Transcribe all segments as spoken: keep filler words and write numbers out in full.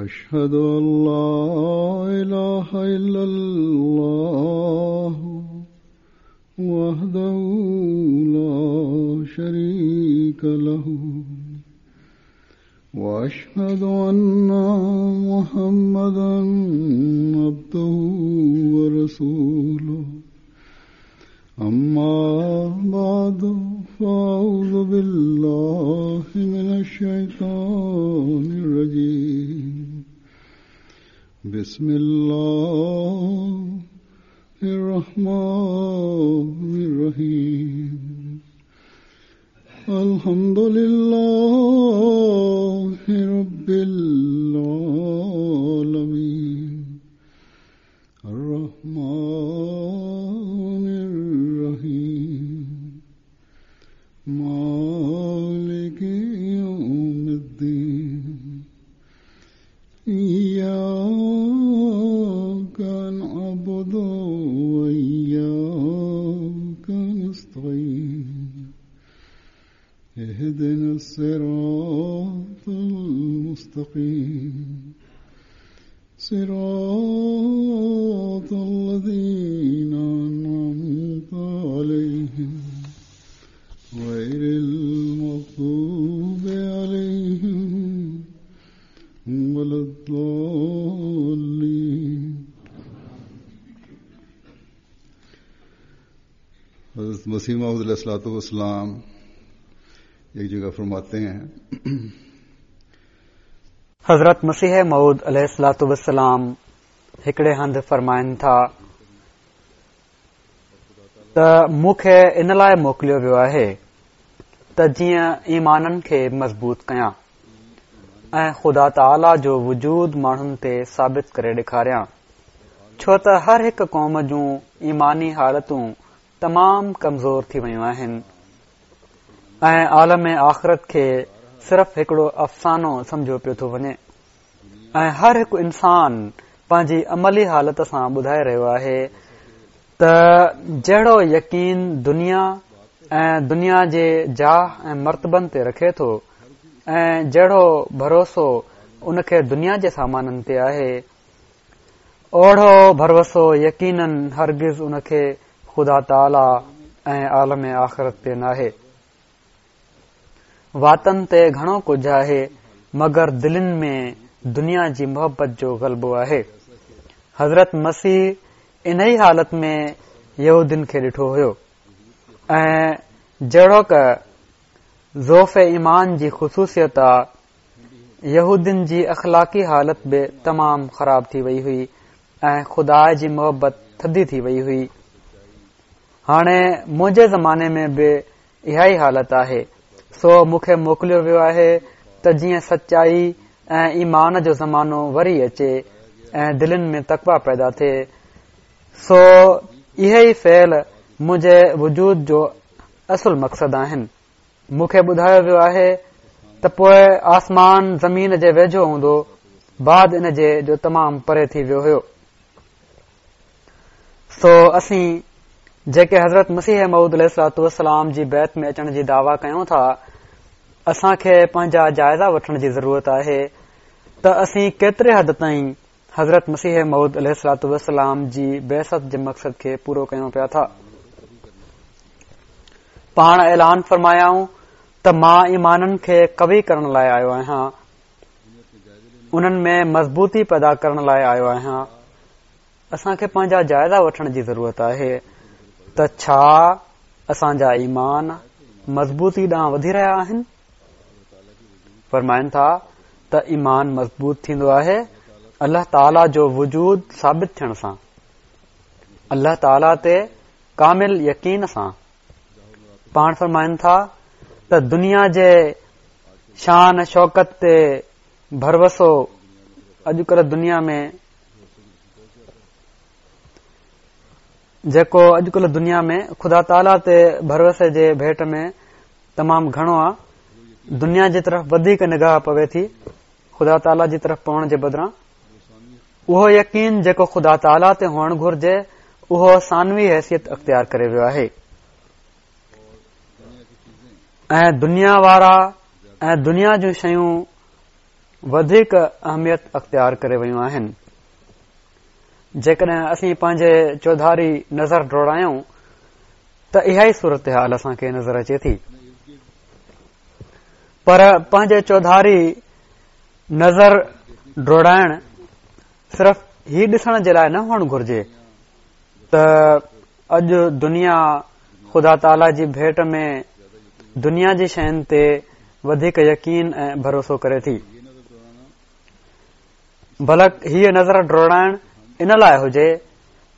أشهد أن لا إله إلا الله وحده لا شريك له وأشهد أن محمدا عبده ورسوله أما بعد فأعوذ بالله من الشيطان الرجيم بسم الله الرحمن الرحيم الحمد لله رب العالمين الرحمن الرحيم مالك يوم الدين إياك نعبد وإياك نستعين اهدنا الصراط المستقيم صراط الذين أنعمت عليهم غير المغضوب عليهم ولا الضالين. हज़रत मसीह मौऊद अलैहिस्सलातु वस्सलाम एक जगह फरमाते हैं, हज़रत मसीह मौऊद अलैहिस्सलातु वस्सलाम हिकिड़े हंधि फरमाइनि था त मूंखे इन लाइ मोकिलियो वियो आहे त जीअं ईमाननि खे मज़बूत कयां ऐं ख़ुदा ताला जो वजूद माण्हुनि ते साबित करे ॾेखारियां, छो त हर हिकु क़ौम जूं ईमानी हालतूं तमामु कमज़ोर थी वयूं आहिनि ऐं आलम आख़िरत खे सिर्फ़ हिकिड़ो अफ़सानो सम्झो पियो थो वञे ऐं हर हिकु इंसान पंहिंजी अमली हालत सां ॿुधाए रहियो आहे त जहिड़ो यकीन दुनिया ऐं दुनिया जे जाह ऐं मर्तबनि ते रखे थो ऐं जहिड़ो भरोसो उनखे दुनिया जे सामाननि ते आहे, ओहिड़ो भरोसो यकीनन हरगिज़ उनखे ख़ुदा ताला ऐं आलम आख़िरत ते नाहे। वातनि ते घणो कुझु आहे मगर दिलनि में दुनिया जी मोहबत जो ग़लबो आहे। हज़रत मसीह इन ई हालत में यहूदिन खे ॾिठो हुयो ऐं जहिड़ोक ज़ोफ़ ईमान जी ख़ुसूसियत आहे, यहूदिन जी अख़लाक़ी हालत बि तमामु ख़राब थी वई हुई ऐं ख़ुदा जी मोहबत थधी थी वई हुई। हाणे मुंहिंजे ज़माने में बि इहा ई हालत आहे, सो मूंखे मोकिलियो वियो आहे त जीअं सचाई ऐं ईमान जो ज़मानो वरी अचे ऐं दिलनि में तकवा पैदा थिए। सो इहे ई फ़ेल मुंहिंजे वजूद जो असुल मक़सद आहिनि। मूंखे ॿुधायो वियो आहे त पोइ आसमान ज़मीन जे वेझो हूंदो, बाद इन जे जो तमामु परे थी वियो हुयो। सो असीं जेके हज़रत मसीह मौऊद अलैहिस्सलातु वस्सलाम जी बैत में अचण जी दावा कयूं था, असांखे पंहिंजा जाइज़ा वठण जी ज़रूरत आहे त असीं केतिरे हद ताईं हज़रत मसीह मौऊद अलैहिस्सलातु वस्सलाम जी बैसत जे मक़सद खे पूरो कयूं पिया था। पाण ऐलान फरमायाऊं त मां ईमाननि खे कवी करण लाइ आयो आहियां, उन्हनि में मज़बूती पैदा करण लाइ आयो आहियां। असांखे पंहिंजा जाइज़ा वठण जी ज़रूरत आहे त छा असांजा ईमान मज़बूती ॾांहुं वधी रहिया आहिनि? फरमाइनि था त ईमान मज़बूत थींदो आहे अल्लाह ताला जो वजूद साबित थियण सां, अल्लाह ताला ते कामिल यकीन सां। पाण फरमाइनि था त दुनिया जे शान शौकत ते भरोसो अॼुकल्ह दुनिया में जेको अॼुकल्ह दुनिया में ख़ुदा ताला ते भरोसे जे भेंट में तमामु घणो आहे, दुनिया जी तरफ़ वधीक निगाह पवे थी ख़ुदा ताला जी तरफ़ पवण जे बदिरां। उहो यकीन जेको ख़ुदा ताला ते हुअणु घुर्जे उहो सानवी हैसियत अख़्तियार करे वियो आहे ऐं दुनिया वारा ऐं दुनिया जूं शयूं وڌيڪ اهميت اختيار ڪري ويون آهن. جيڪڏهن اسين پنهنجي چوڌاري نظر ڊوڙايون ته اها ئي صورت حال اسان کي نظر اچي ٿي. پر پنهنجي چوڌاري نظر ڊوڙائڻ صرف هي ڏسڻ جي لاءِ نه هئڻ گهرجي ته اڄ دنيا خدا تعاليٰ جي ڀيٽ ۾ دنيا جي شين تي وڌيڪ يقين ۽ ڀروسو ڪري ٿي، بلڪ هيءَ نظر ڊوڙائڻ ان لاءِ هجي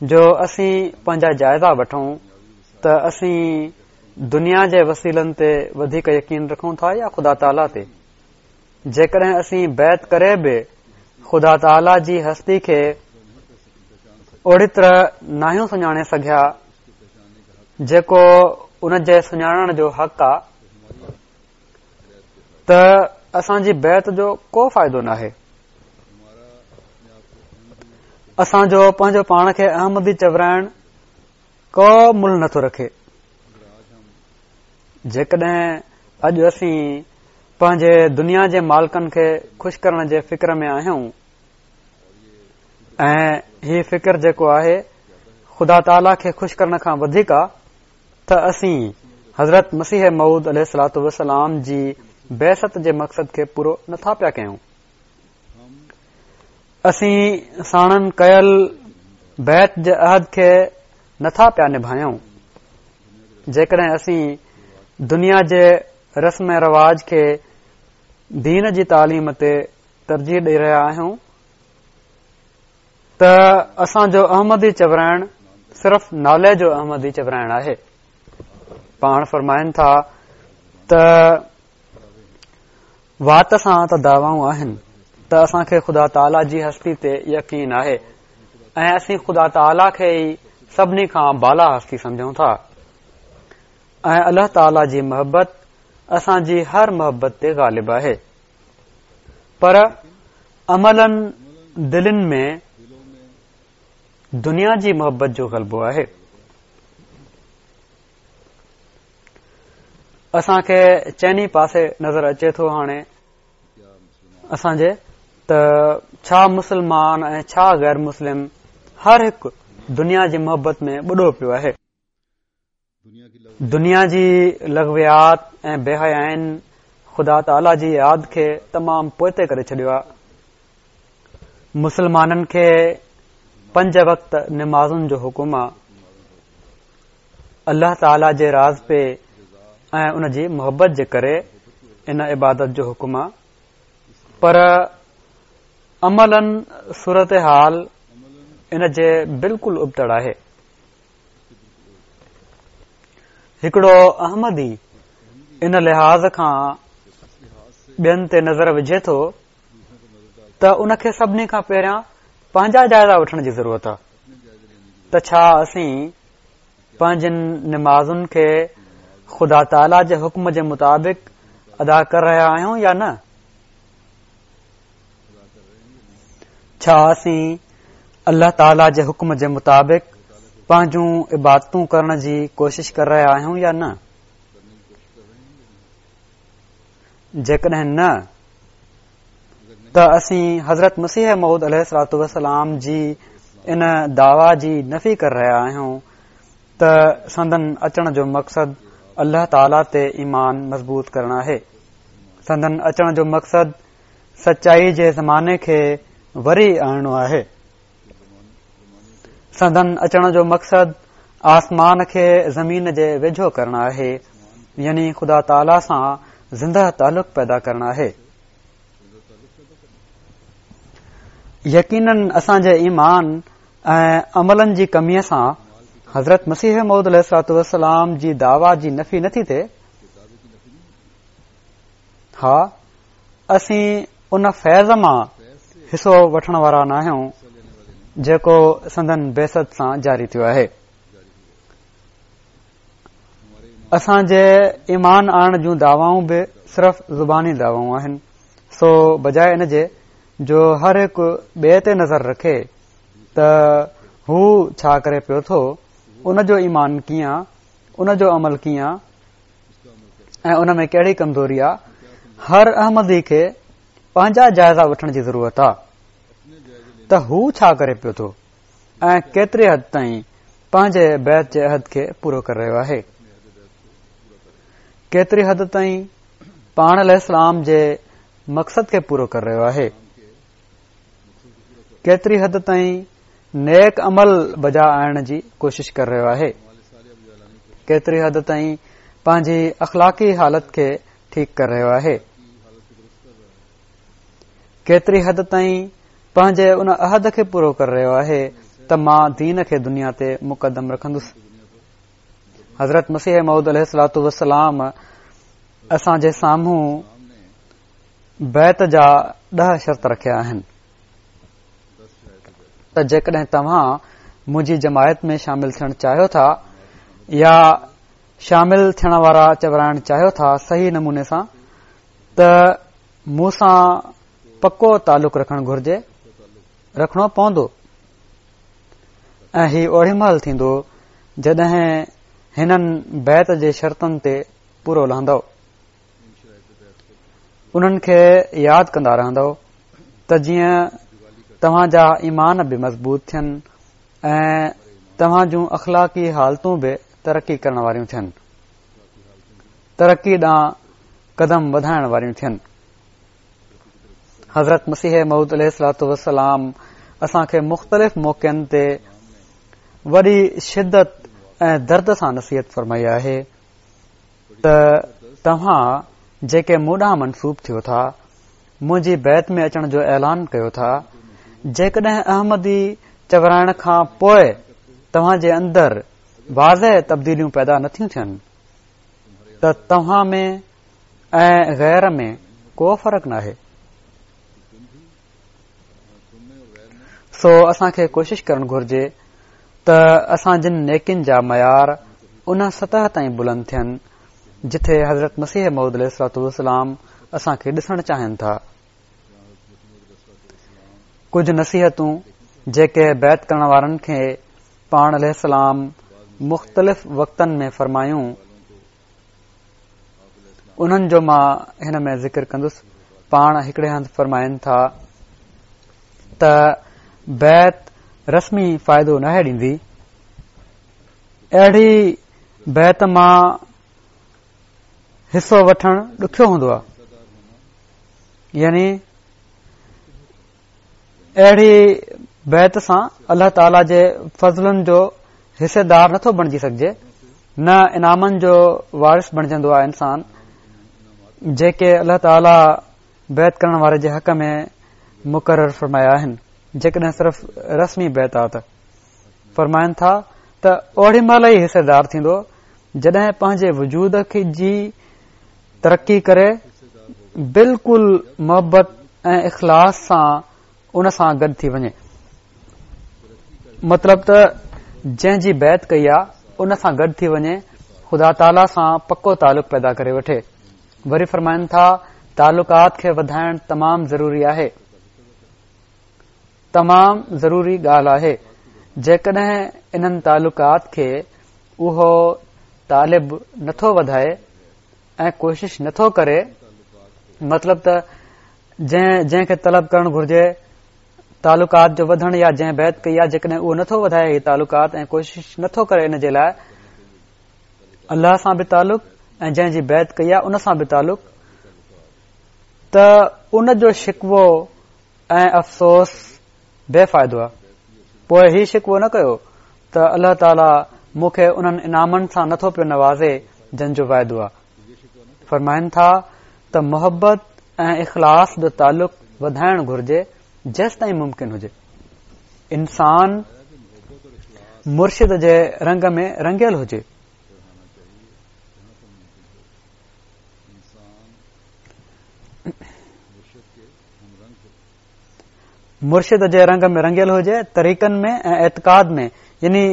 جو اسين پنهنجا جائزا وٺون ته اسين دنيا جي وسيلن تي وڌيڪ يقين رکون ٿا يا خدا تعاليٰ تي. جيڪڏهن اسين بيعت ڪري به خدا تعاليٰ جي هستي کي اوڙي طرح ناهيون سڃاڻي سگهيا جيڪو ان جي سڃاڻڻ جو حق آ، ته اسان جي بيعت جو ڪو فائدو ناهي. اسان جو پنهنجو پاڻ کي احمدي چورائڻ ڪو ملهه نٿو رکي. جيڪڏهن اڄ اسين پنهنجي دنيا جي مالڪن کي خوش ڪرڻ جي فڪر ۾ آهيون ۽ هي فڪر جيڪو آهي خدا تعاليٰ کي خوش ڪرڻ کان وڌيڪ آ، ته اسين حضرت مسيح موعود عليه الصلوة والسلام جي بعثت جي مقصد کي پورو نٿا پيا ڪيون. اسين ساڻن ڪيل بيعت جي عهد کي نٿا پيا نڀايون. جيڪڏهن اسين دنيا جي رسم ۽ رواج کي دين جي تعليم تي ترجيح ڏئي رهيا آهيون ته اسان جو احمدي چورائڻ صرف نالي جو احمدي چورائڻ آهي. پاڻ فرمائن ٿا ته وات سان ته دعوائون آهن ته اسان کي خدا تعاليٰ جي هستي تي يقين آهي ۽ اسين خدا تعاليٰ کي ئي سڀني کان بالا هستي سمجهون ٿا ۽ الله تعاليٰ جي محبت اسان جي هر محبت تي غالب آهي، پر عملاً دلين ۾ دنيا جي محبت جو غلبو آهي. اسان کي چئني پاسي نظر اچي ٿو هاڻي اسان جي ته ڇا مسلمان ۽ ڇا غير مسلم هر هڪ دنيا جي محبت ۾ ٻڏو پيو آهي. دنيا جي لغويات ۽ بي حيائين خدا تعاليٰ جي ياد کي تمام پوئتي ڪري ڇڏيو آهي. مسلمانن کي پنج وقت نمازن جو حڪم آهي. الله تعاليٰ جي راضپي ۽ ان جي محبت جي ڪري ان عبادت جو حڪم آهي، پر عملاً صورتحال ان جي بلڪل ابتڙ آهي. هڪڙو احمدي ان لحاظ کان ٻين تي نظر وجهي ٿو ته ان کي سڀني کان پهريان پنهنجا جائزا وٺڻ جي ضرورت آهي ته ڇا اسين پنهنجن نمازن کي خدا تعاليٰ جي حڪم جي مطابق ادا ڪري رهيا آهيون يا نه؟ ڇا اسين الله تعاليٰ جي حڪم جي مطابق پنهنجون عبادتون ڪرڻ جي ڪوشش ڪري رهيا آهيون يا نه؟ جيڪڏهن نه ته اسين حضرت مسيح موعود عليه الصلوة والسلام جي ان دعويٰ جي نفي ڪري رهيا آهيون ته سندن اچڻ جو مقصد الله تعاليٰ تي ايمان مضبوط ڪرڻ آهي. سندن اچڻ جو مقصد سچائي جي زماني کي وري آڻڻو آهي. سندن اچڻ جو مقصد آسمان کي زمين جي ويجهو ڪرڻ آهي، يعني خدا تعاليٰ سان زنده تعلق پيدا ڪرڻ آهي. يقيناً اسان جي ايمان ۽ عملن جي ڪميءَ سان حضرت مسيح موعود عليه الصلوة والسلام جي دعويٰ جي نفي نٿي ٿئي. ها، اسين ان فيض مان حصو وٺڻ وارا ناهيون جيڪو سندن بعثت سان جاري ٿيو آهي. اسان جي ايمان آڻڻ جون دعوائون به صرف زباني دعوائون آهن، سو بجاءِ ان جي جو هر هڪ ٻئي تي نظر رکي ته هو ڇا ڪري پيو ٿو، ان جو ايمان ڪيئن آ، ان جو عمل ڪيئن آ ۽ ان ۾ ڪهڙي ڪمزوري آ، هر احمدي کي پنهنجا جائزا وٺڻ جي ضرورت آهي ته هو ڇا ڪري پيو ٿو ۽ ڪيتري حد تائين پنهنجي بيعت جي عهد کي پورو ڪري رهيو آهي، ڪيتري حد تائين پاڻ عليه السلام جي مقصد کي پورو ڪري رهيو آهي، ڪيتري حد تائين نيڪ عمل بجا آڻڻ جي ڪوشش ڪري رهيو آهي، ڪيتري حد تائين پنهنجي اخلاقي حالت کي ٺيڪ ڪري رهيو آهي، ڪيتري حد تائين پنهنجي ان عهد کي پورو ڪري رهيو آهي ته مان دين کي دنيا تي مقدم رکندس. حضرت مسيح موعود عليه الصلوة والسلام اسان جي سامهون بيعت جا ڏهه شرط رکيا آهن ته جيڪڏهن توهان منهنجي جماعت ۾ شامل ٿيڻ چاهيو ٿا يا شامل ٿيڻ وارا چورائڻ چاهيو ٿا صحيح نموني سان، ته مون سان پڪو تعلق رکڻ گهرجي، رکڻو پوندو. ۽ هي اوڙي مهل ٿيندو جڏهن هنن بيعت جي شرطن تي پورو لهندؤ، انهن کي ياد ڪندا رهندؤ ته جيئن توهان جا ايمان به مضبوط ٿين ۽ توهان جون اخلاقي حالتون به ترقي ڪرڻ واريون ٿين، ترقي ڏانهن قدم وڌائڻ واريون ٿين. حضرت مسيح موعود عليه الصلوة والسلام اسان کي مختلف موقعن تي وڏي شدت ۽ درد سان نصيحت فرمائي آهي ته توهان جيڪي مون ڏانهن منسوب ٿيو ٿا، منهنجي بيعت ۾ اچڻ جو اعلان ڪيو ٿا، جيڪڏهن احمدي چورائڻ کان پوء توهان جي اندر واضح تبديليون پيدا نٿيون ٿين ته توهان ۾ ۽ غير ۾ ڪو فرق ناهي. سو اسان کي ڪوشش ڪرڻ گهرجي ته اسان جن نيڪين جا معيار ان سطح تائين بلند ٿين جٿي حضرت مسيح موعود عليه الصلوة والسلام اسان کي ڏسڻ چاهين ٿا. ڪجهه نصيحتون جيڪي بيعت ڪرڻ وارن کي پاڻ عليه السلام مختلف وقتن ۾ فرمايون، انهن جو مان هن ۾ ذڪر ڪندس. پاڻ هڪڙي هنڌ فرمائن ٿا ته بيعت رسمي فائدو ناهي ڏيندي، اهڙي بيعت مان حصو وٺڻ ڏکيو هوندو آهي، يعني اهڙي بيعت سان الله تعاليٰ جي فضلن جو حصيدار نٿو بڻجي سگهجي، نه انعامن جو وارث بڻجندو آهي انسان، جيڪي الله تعاليٰ بيعت ڪرڻ واري جي حق ۾ مقرر فرمايا آهن، جيڪڏهن صرف رسمي بيعت آ ته. فرمائن ٿا ته اوڙي مهل ئي حصيدار ٿيندو جڏهن پنهنجي وجود کي جي ترقي ڪري بالڪل محبت ۽ اخلاص سان ان سان گڏ ٿي وڃي. مطلب ته جنهن جي بيعت ڪئي آ ان سان گڏ ٿي وڃي، خدا تعاليٰ سان پڪو تعلق پيدا ڪري وٺي. وري فرمائن ٿا تعلقات کي وڌائڻ تمام ضروري آهي، تمام ضروري ڳالهه آهي. جيڪڏهن انهن تعلقات کي اهو طالب نٿو وڌائي ۽ ڪوشش نٿو ڪري، مطلب ته جنهن جنهن کي طلب ڪرڻ گهرجي تعلقات جو وڌڻ يا جنهن بيعت ڪئي آهي، جيڪڏهن اهو نٿو وڌائي هي تعلقات ۽ ڪوشش نٿو ڪري ان جي لاء الله سان به تعلق ۽ جنهن جي بيعت ڪئي آهي ان سان به تعلق، ته ان جو شڪوو ۽ افسوس بي فائدو آهي. پوء هي شڪوو نه ڪيو ته الله تعاليٰ مون کي انهن انعامن سان نٿو پيو نوازي جن جو وعدو آهي. فرمائن ٿا ته محبت ۽ اخلاص جو تعلق وڌائڻ گهرجي جيستائين ممڪن هجي. انسان مرشد جي رنگ ۾ رنگيل هجي. مرشد جي رنگ ۾ رنگيل هجي طريقن ۾ ۽ اعتقاد ۾، يعني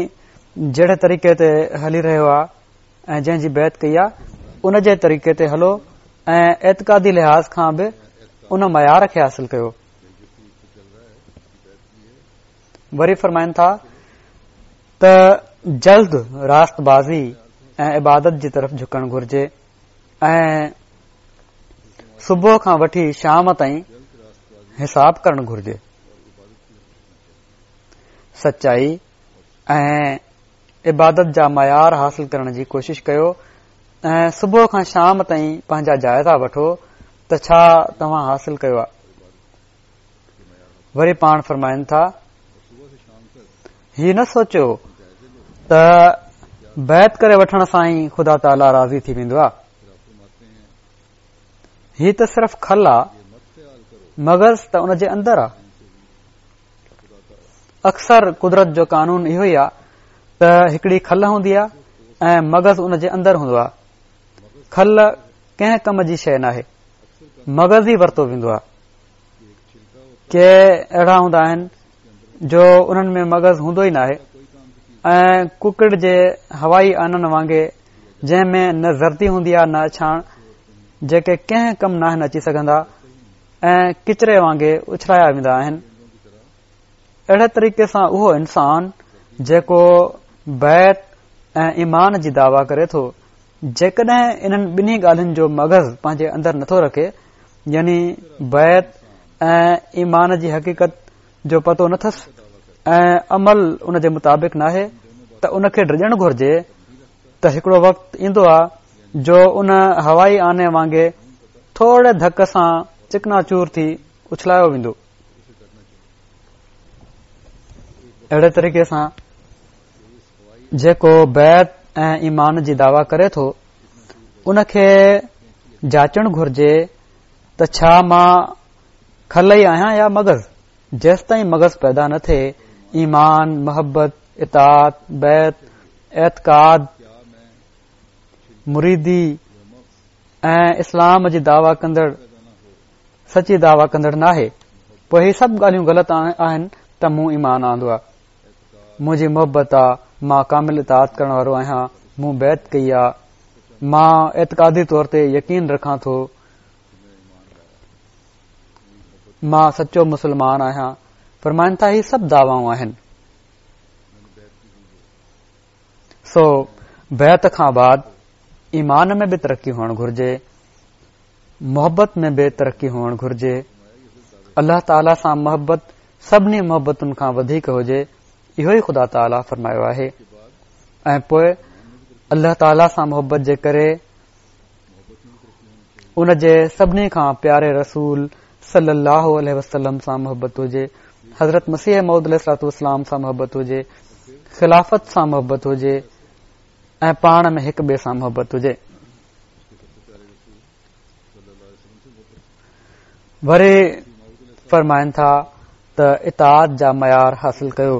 جهڙي طريقي تي هلي رهيو آهي ۽ جنهن جي بيعت ڪئي آهي ان جي طريقي تي هلو ۽ اعتقادي لحاظ کان به ان معيار کي حاصل ڪيو. وري فرمائن ٿا ته جلد راست بازي ۽ عبادت جي طرف جهڪڻ گهرجي ۽ صبح کان وٺي شام تائين حساب ڪرڻ گهرجي. سچائي ۽ عبادت جا معيار حاصل ڪرڻ جي ڪوشش ڪيو ۽ صبح کان شام تائين پنهنجا جائزا وٺو ته ڇا توهان حاصل ڪيو آهي. وري پاڻ فرمائن ٿا، هي نه سوچيو ته بيعت ڪري وٺڻ سان ئي خدا تعاليٰ راضي ٿي ويندو آهي. هي ته صرف کل آهي، مغز ته ان جي اندر آهي. اڪثر قدرت جو قانون اهو ئي آهي ته هڪڙي کل هوندي آهي ۽ مغز ان جي اندر هوندو آهي. کل ڪنهن ڪم جي شيء ناهي، مغز ئي ورتو ويندو آهي. ڪي اهڙا هوندا آهن جو انهن ۾ مغز هوندو ئي ناهي ۽ ڪڪڙ جي هوائي آنن وانگي جنهن ۾ نه زردي هوندي آهي نه اڇاڻ، جيڪي ڪنهن ڪم ناهن اچي سگهندا ۽ ڪچري وانگي اڇلايا ويندا آهن. اهڙي طريقي سان اهو انسان جيڪو بيعت ۽ ايمان جي دعويٰ ڪري ٿو، جيڪڏهن انهن ٻنهي ڳالهين جو مغز پنهنجي اندر نٿو رکي، يعني بيعت ۽ ايمان جي حقيقت جو پتو نٿس ۽ عمل ان جي مطابق ناهي، ته ان کي ڊڄڻ گهرجي ته هڪڙو وقت ايندو آهي جو ان هوائي آني وانگي ٿوري ڌڪ سان چڪنا چور ٿي اڇلايو ويندو. اهڙي طريقي سان جيڪو بيعت ۽ ايمان جي دعويٰ ڪري ٿو ان کي جاچڻ گهرجي ته ڇا مان کل ئي آهيان يا مغز. جيستائين مغز پيدا نه ٿئي، ايمان، محبت، اطاعت، بيعت، اعتقاد، مريدي ۽ اسلام جي دعويٰ ڪندڙ سچي دعويٰ ڪندڙ ناهي. پوء هي سڀ ڳالهيون غلط آهن ته مون ايمان آندو آهي، منهنجي محبت آ، مان ڪامل اطاعت ڪرڻ وارو آهيان، مون بيعت ڪئي آ، مان اعتقادي طور تي يقين رکان ٿو، مان سچو مسلمان آهيان. فرمائن ٿا هي سڀ دعوائون آهن. سو بيعت کان بعد ايمان ۾ به ترقي هئڻ گهرجي، محبت ۾ به ترقي هئڻ گهرجي. الله تعاليٰ سان محبت سڀني محبتن کان وڌيڪ هجي، اهو ئي خدا تعاليٰ فرمايو آهي. ۽ پوء الله تعاليٰ سان محبت جي ڪري ان جي سڀني کان پياري رسول صلي الله عليه وسلم سان محبت هجي، حضرت مسيح موعود عليه الصلوة والسلام سان محبت هجي، خلافت سان محبت هجي ۽ پاڻ ۾ هڪ ٻئي سان محبت هجي. وري فرمائن ٿا ته اطاعت جا معيار حاصل ڪيو.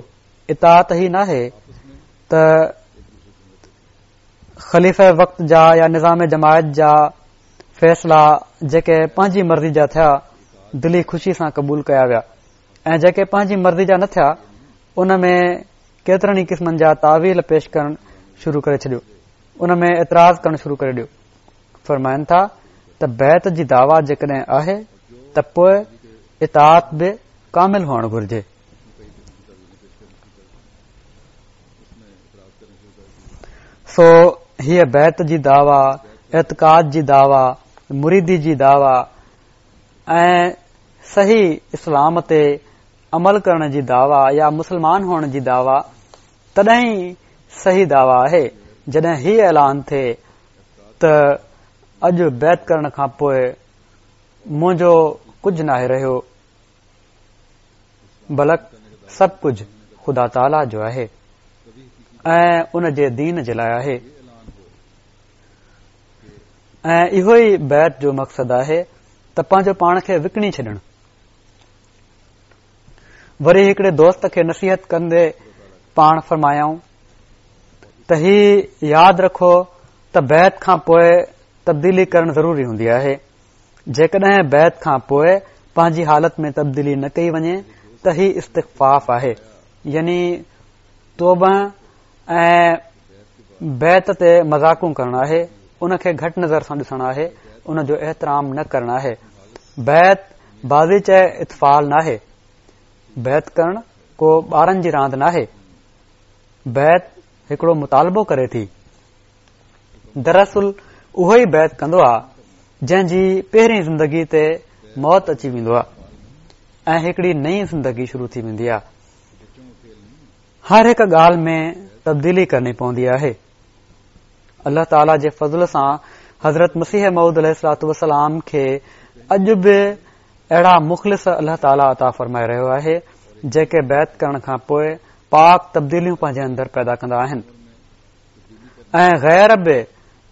اطاعت هي ناهي ته خليفه وقت جا يا نظام جماعت جا فيصلا جيڪي پنهنجي مرضي جا ٿيا دلي خوشي سان قبول ڪيا ويا ۽ جيڪي پنهنجي مرضي جا نه ٿيا ان ۾ ڪيترن ئي قسمن جا تاويل پيش ڪرڻ شروع ڪري ڇڏيو، ان ۾ اعتراض ڪرڻ شروع ڪري ڏيو. فرمائن ٿا ته بيعت جي دعويٰ جيڪڏهن آهي ته پوء اطاعت به ڪامل هئڻ گهرجي. سو هيء بيعت جي دعويٰ، اعتقاد جي دعويٰ، مريدي جي دعويٰ ۽ صحيح اسلام تي عمل ڪرڻ جي دعويٰ يا مسلمان هئڻ جي دعويٰ تڏهن ئي صحيح دعويٰ آهي جڏهن هي اعلان ٿئي ته اڄ بيعت ڪرڻ کان پوء منهنجو ڪجهه ناهي رهيو، بلڪ سڀ ڪجهه خدا تعاليٰ جو آهي ۽ ان جي دين جي لاء آهي. ۽ اهو ئي بيعت جو مقصد آهي ته پنهنجو پاڻ کي وڪڻي ڇڏڻ. وري هڪڙي دوست کي نصيحت ڪندي پاڻ فرمايائون ته هي ياد رکو ته بيعت کان پوء تبديلي ڪرڻ ضروري هوندي آهي. جيڪڏهن بيعت کان پوء پنهنجي حالت ۾ تبديلي نه ڪئي وڃي ته هي استخفاف آهي، يعني توبه ۽ بيعت تي مذاقون ڪرڻ آهي، ان کي گهٽ نظر سان ڏسڻ آهي، ان جو احترام نه ڪرڻ آهي. بيعت بازيچه اطفال ناهي، بيعت ڪرڻ ڪو ٻارن جي راند ناهي. بيعت هڪڙو مطالبو ڪري ٿي. دراصل اهو ئي بيعت ڪندو آ جنهن جي پهرين زندگي تي موت اچي ويندو آ. ۽ هڪڙي نئين زندگي شروع ٿي ويندي آهي. هر هڪ ڳالهه ۾ تبديلي ڪرڻي پوندي آهي. الله تعاليٰ جي فضل سان حضرت مسيح موعود عليه الصلوة والسلام کي اڄ به اهڙا مخلص الله تعاليٰ عطا فرمائي رهيو آهي، جيڪي بيعت ڪرڻ کان پوء پاڪ تبديليون پنهنجي اندر پيدا ڪندا آهن ۽ غير به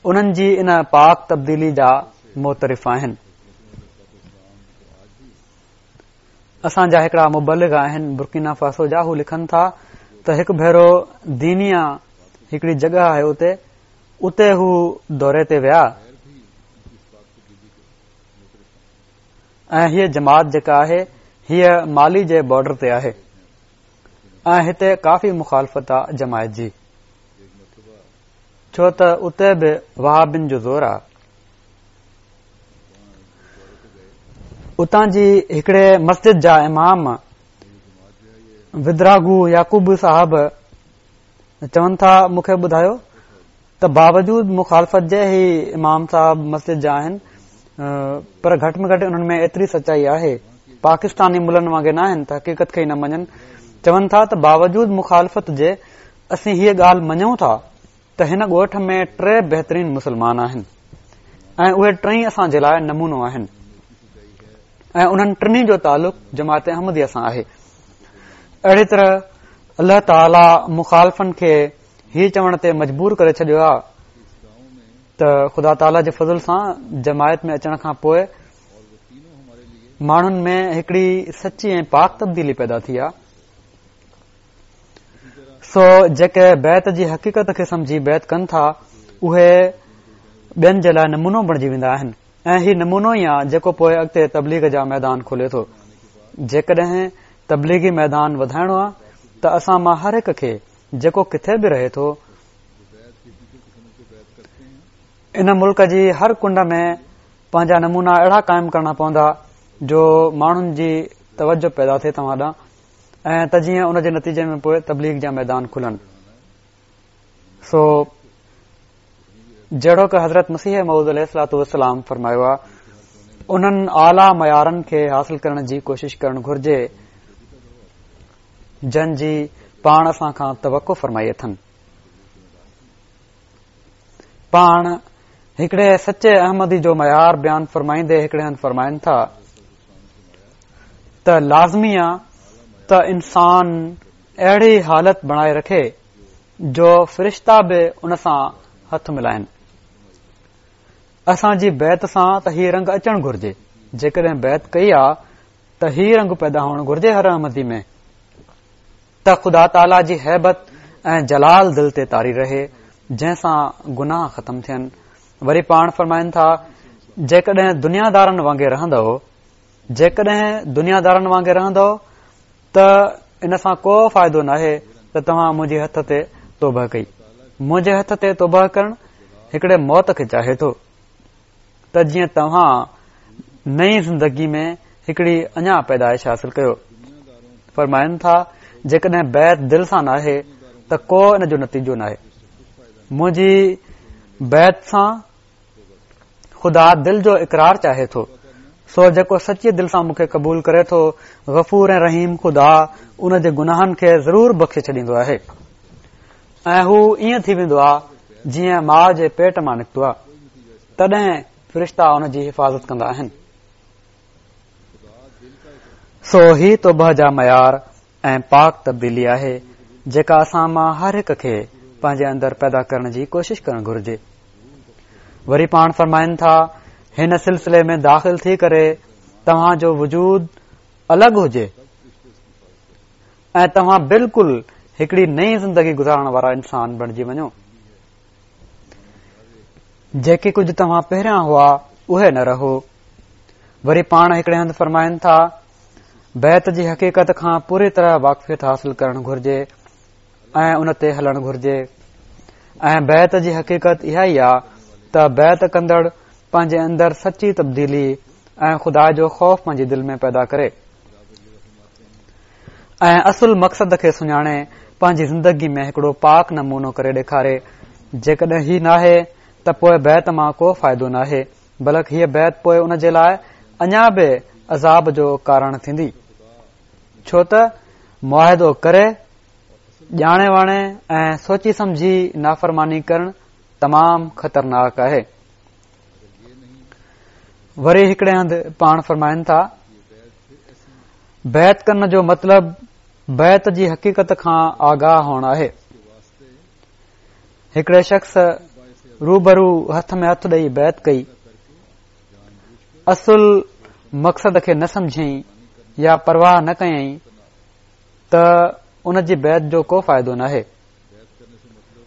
انهن جي ان پاڪ تبديلي جا معترف آهن. اسان جا هڪڙا مبلغ آهن برڪينا فاسو جا، هو لکن ٿا ته هڪ ڀيرو دينيا هڪڙي جڳهه آهي اتي اتي هو دوري تي ويا ۽ هيء جماعت جيڪا آهي هيء مالي جي بارڊر تي آهي ۽ هتي ڪافي مخالفت آ جماعت جي، ڇو ته اتي به وهابين جو زور آ. اتان جي هڪڙي مسجد جا امام ودراگو يعقوب صاحب چون ٿا مون کي ٻڌايو ته باوجود مخالفت جي هي امام صاحب مسجد جا آهن پر گهٽ ۾ گهٽ انهن ۾ ايتري سچائي آهي، پاڪستاني ملن وانگي نه آهن ته حقيقت کي ئي نه مڃن. چون ٿا ته باوجود مخالفت جي اسين هيء ڳالهه مڃون ٿا ته هن ڳوٺ ۾ ٽي بهترين مسلمان آهن ۽ اهي ٽئي اسان جي لاء نمونو آهن ۽ انهن ٽنهي جو تعلق جماعت احمديه سان آهي. اهڙي طرح الله تعاليٰ مخالفن کي هي چوڻ تي مجبور ڪري ڇڏيو آهي ته خدا تعاليٰ جي فضل سان جماعت ۾ اچڻ کان پوء ماڻهن ۾ هڪڙي سچي ۽ پاڪ تبديلي پيدا ٿي آهي. سو جيڪي بيعت جي حقيقت کي سمجهي بيعت ڪن ٿا اهي ٻين جي لاء نمونو بڻجي ويندا آهن ۽ هي نمونو ئي آهي جيڪو پوء اڳتي تبليغ جا ميدان کولي ٿو. جيڪڏهن تبليغي ميدان وڌائڻو آهي ته اسان مان هر هڪ کي جيڪو ڪٿي به رهي ٿو ان ملڪ جي هر ڪنڊ ۾ پنهنجا نمونا اهڙا قائم ڪرڻا پوندا جو ماڻهن جي توجه پيدا ٿئي توهان ڏانهن ۽ ته جيئن ان جي نتيجي ۾ پوء تبليغ جا ميدان کلن. سو جهڙوڪ حضرت مسيح موعود عليه الصلوة والسلام فرمايو آهي، انهن اعليٰ معيارن کي حاصل ڪرڻ جي ڪوشش ڪرڻ گهرجي جن جي پاڻ اسان کان توقع فرمائي اٿن. پاڻ هڪڙي سچي احمدي جو معيار بيان فرمائيندي هڪڙي هنڌ فرمائن ٿا ته لازمي آ ته انسان اهڙي حالت بڻائي رکي جو فرشتا به ان سان هٿ ملائن. اسان جي بيعت سان ته هي رنگ اچڻ گهرجي. جيڪڏهن بيعت ڪئي آ ته هي رنگ پيدا هئڻ گهرجي هر احمدي ۾ ته خدا تعاليٰ جي هيبت ۽ جلال دل تي طاري رهي جنهن سان گناهه ختم ٿين. وري پاڻ فرمائن ٿا جيڪڏهن دنيا دارن وانگي رهندؤ، جيڪڏهن دنيا دارن وانگي رهندؤ ته ان سان ڪو فائدو ناهي ته توهان منهنجي هٿ تي توبه ڪئي. منهنجي هٿ تي توبه ڪرڻ هڪڙي موت کي چاهي ٿو ته جيئن توهان نئين زندگي ۾ هڪڙي اڃا پيدائش حاصل ڪيو. فرمائن ٿا جيڪڏهن بيعت دل سان ناهي ته ڪو ان جو نتيجو ناهي. منهنجي بيعت سان خدا دل جو اقرار چاهي ٿو، سو جيڪو سچي دل سان مون کي قبول ڪري ٿو، غفور ۽ رحيم خدا ان جي گناهن کي ضرور بخشي ڇڏيندو آهي ۽ هو ائين ٿي ويندو آهي جيئن ماء جي پيٽ مان نڪتو آهي، تڏهن فرشتا ان جي حفاظت ڪندا آهن. سو هي توبه جا معيار ۽ پاڪ تبديلي آهي جيڪا اسان مان هر هڪ کي پنهنجي اندر پيدا ڪرڻ جي ڪوشش ڪرڻ گهرجي. وري پاڻ فرمائن ٿا هن سلسلي ۾ داخل ٿي ڪري توهان جو وجود الڳ هجي ۽ توهان بلڪل هڪڙي نئين زندگي گذارڻ وارا انسان بڻجي وڃو. جيڪي ڪجهه توهان پهريان هئا اهي نه رهو. وري پاڻ هڪڙي هنڌ فرمائن ٿا بيعت جي حقيقت کان پوري طرح واقفيت حاصل ڪرڻ گهرجي ۽ ان تي هلڻ گهرجي ۽ بيعت جي حقيقت اها ئي آ ته بيعت ڪندڙ پنهنجي اندر سچي تبديلي ۽ خدا جو خوف پنهنجي دل ۾ پيدا ڪري ۽ اصل مقصد کي سڃاڻي پنهنجي زندگي ۾ هڪڙو پاڪ نمونو ڪري ڏيکاري. جيڪڏهن هي ناهي ته پوء بيعت مان ڪو فائدو ناهي، بلڪ هيء بيعت پوء ان جي لاء اڃا به عذاب جو ڪارڻ ٿيندي. ڇو ته معاهدو ڪري ڄاڻي واڻي ۽ سوچي سمجهي نافرماني ڪرڻ تمام خطرناڪ آهي. وري هڪڙي هنڌ پاڻ فرمائن ٿا، بيعت ڪرڻ جو مطلب بيعت جي حقيقت کان آگاهه هئڻ آهي. هڪڙي شخص روبرو هٿ ۾ هٿ ڏئي بيعت ڪئي، اصل مقصد کي نه سمجهيائين يا پرواهه نه ڪيائين ته ان جي بيعت جو ڪو فائدو ناهي.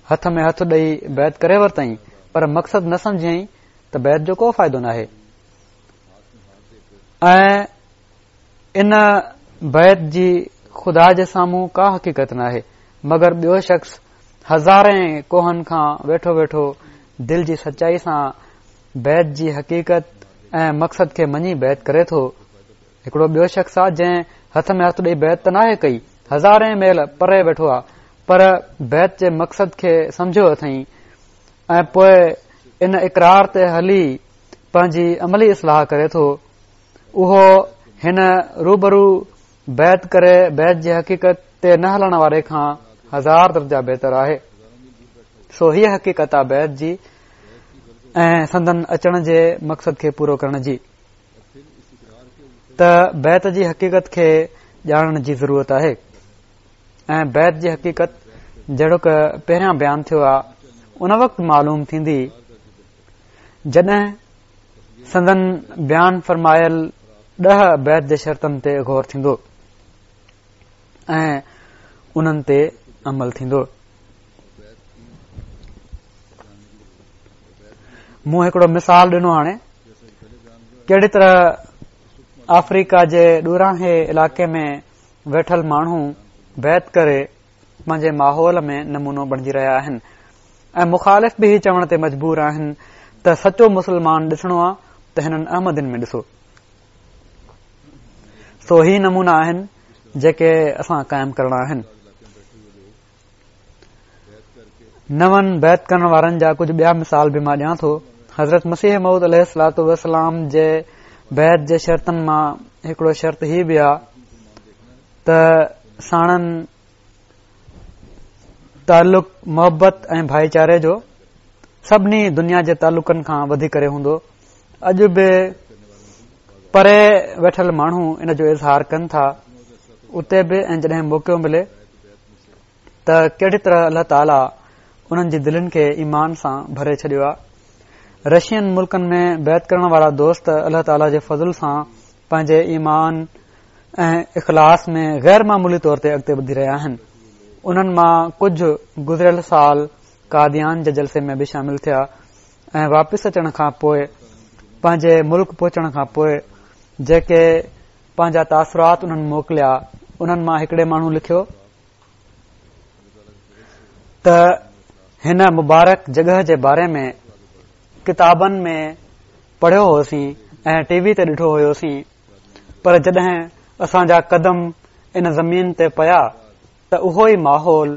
هٿ ۾ هٿ ڏئي بيعت ڪري ورتائين پر مقصد نه سمجهيائين ته بيعت جو ڪو فائدو ناهي. ۽ ان بيعت جي خدا جي سامهون ڪا حقيقت ناهي. مگر ٻيو شخص هزارين ڪوهن کان ويٺو ويٺو دل جي سچائي سان بيعت جي حقيقت ۽ مقصد کي مڃي بيعت ڪري ٿو. هڪڙو ٻيو شخص آ جنهن هٿ ۾ هٿ ڏئي بيعت ته ناهي ڪئي، هزارين ميل پري ويٺو آ، پر بيعت جي مقصد کي سمجهيو اٿئين ۽ پوء ان اقرار تي هلي پنهنجي عملي اصلاح ڪري ٿو. اهو هن روبرو بيعت ڪري بيعت جي حقيقت تي نه هلڻ واري کان هزار درجا بهتر آهي. سو هيء حقيقت آ بيعت جي ۽ سندن اچڻ جي مقصد کي پورو ڪرڻ جي، ته بيعت جي حقيقت کي ڄاڻڻ جي ضرورت آهي. ۽ بيعت جي حقيقت جهڙوڪ پهريان بيان ٿيو آ ان وقت معلوم ٿيندي جڏهن سندن بيان فرمايل ڏهه بيعت جي شرطن تي غور ٿيندو ۽ انهن تي عمل ٿيندو. مون هڪڙو مثال ڏنو هاڻي ڪهڙي طرح آفريڪا جي ڏورانهين علائقي ۾ ويٺل ماڻهو بيعت ڪري پنهنجي ماحول ۾ نمونو بڻجي رهيا آهن ۽ مخالف به هي چوڻ تي مجبور آهن ته سچو مسلمان ڏسڻو آ ته هنن احمدين ۾ ڏسو. سو هي نمونا آهن جيڪي اسان قائم ڪرڻا آهن. نون بيعت ڪرڻ وارن جا ڪجهه ٻيا مثال به مان ڏيان ٿو. حضرت مسيح موعود عليه الصلوة والسلام جي بيعت جي شرطن مان هڪڙو شرط هي به آ ته ساڻن تعلق محبت ۽ ڀائيچاري جو سڀني دنيا جي تعلقن کان وڌي ڪري هوندو. اڄ به پري ويٺل ماڻهو ان جو اظهار ڪن ٿا اتي به، ۽ جڏهن موقعو ملي ته ڪهڙي طرح الله تعاليٰ انهن جي دلين کي ايمان سان ڀري ڇڏيو آ. رشين ملڪن ۾ بيعت ڪرڻ وارا دوست الله تعاليٰ جي فضل سان پنهنجي ايمان ۽ اخلاص ۾ غير معمولي طور تي اڳتي وڌي رهيا آهن. انهن مان ڪجهه گذريل سال قاديان جي جلسي ۾ به شامل ٿيا ۽ واپس اچڻ کان پوء پنهنجي ملڪ پهچڻ کان پوء جيڪي پنهنجا تاثرات انهن موڪليا، انهن مان هڪڙي ماڻهو لکيو ته هن مبارڪ جڳهه جي باري ۾ ڪتابن ۾ پڙهيو هوسين ۽ ٽي وي تي ڏٺو هيوسين، پر جڏهن اسان جا قدم ان زمين تي پيا ته اهو ئي ماحول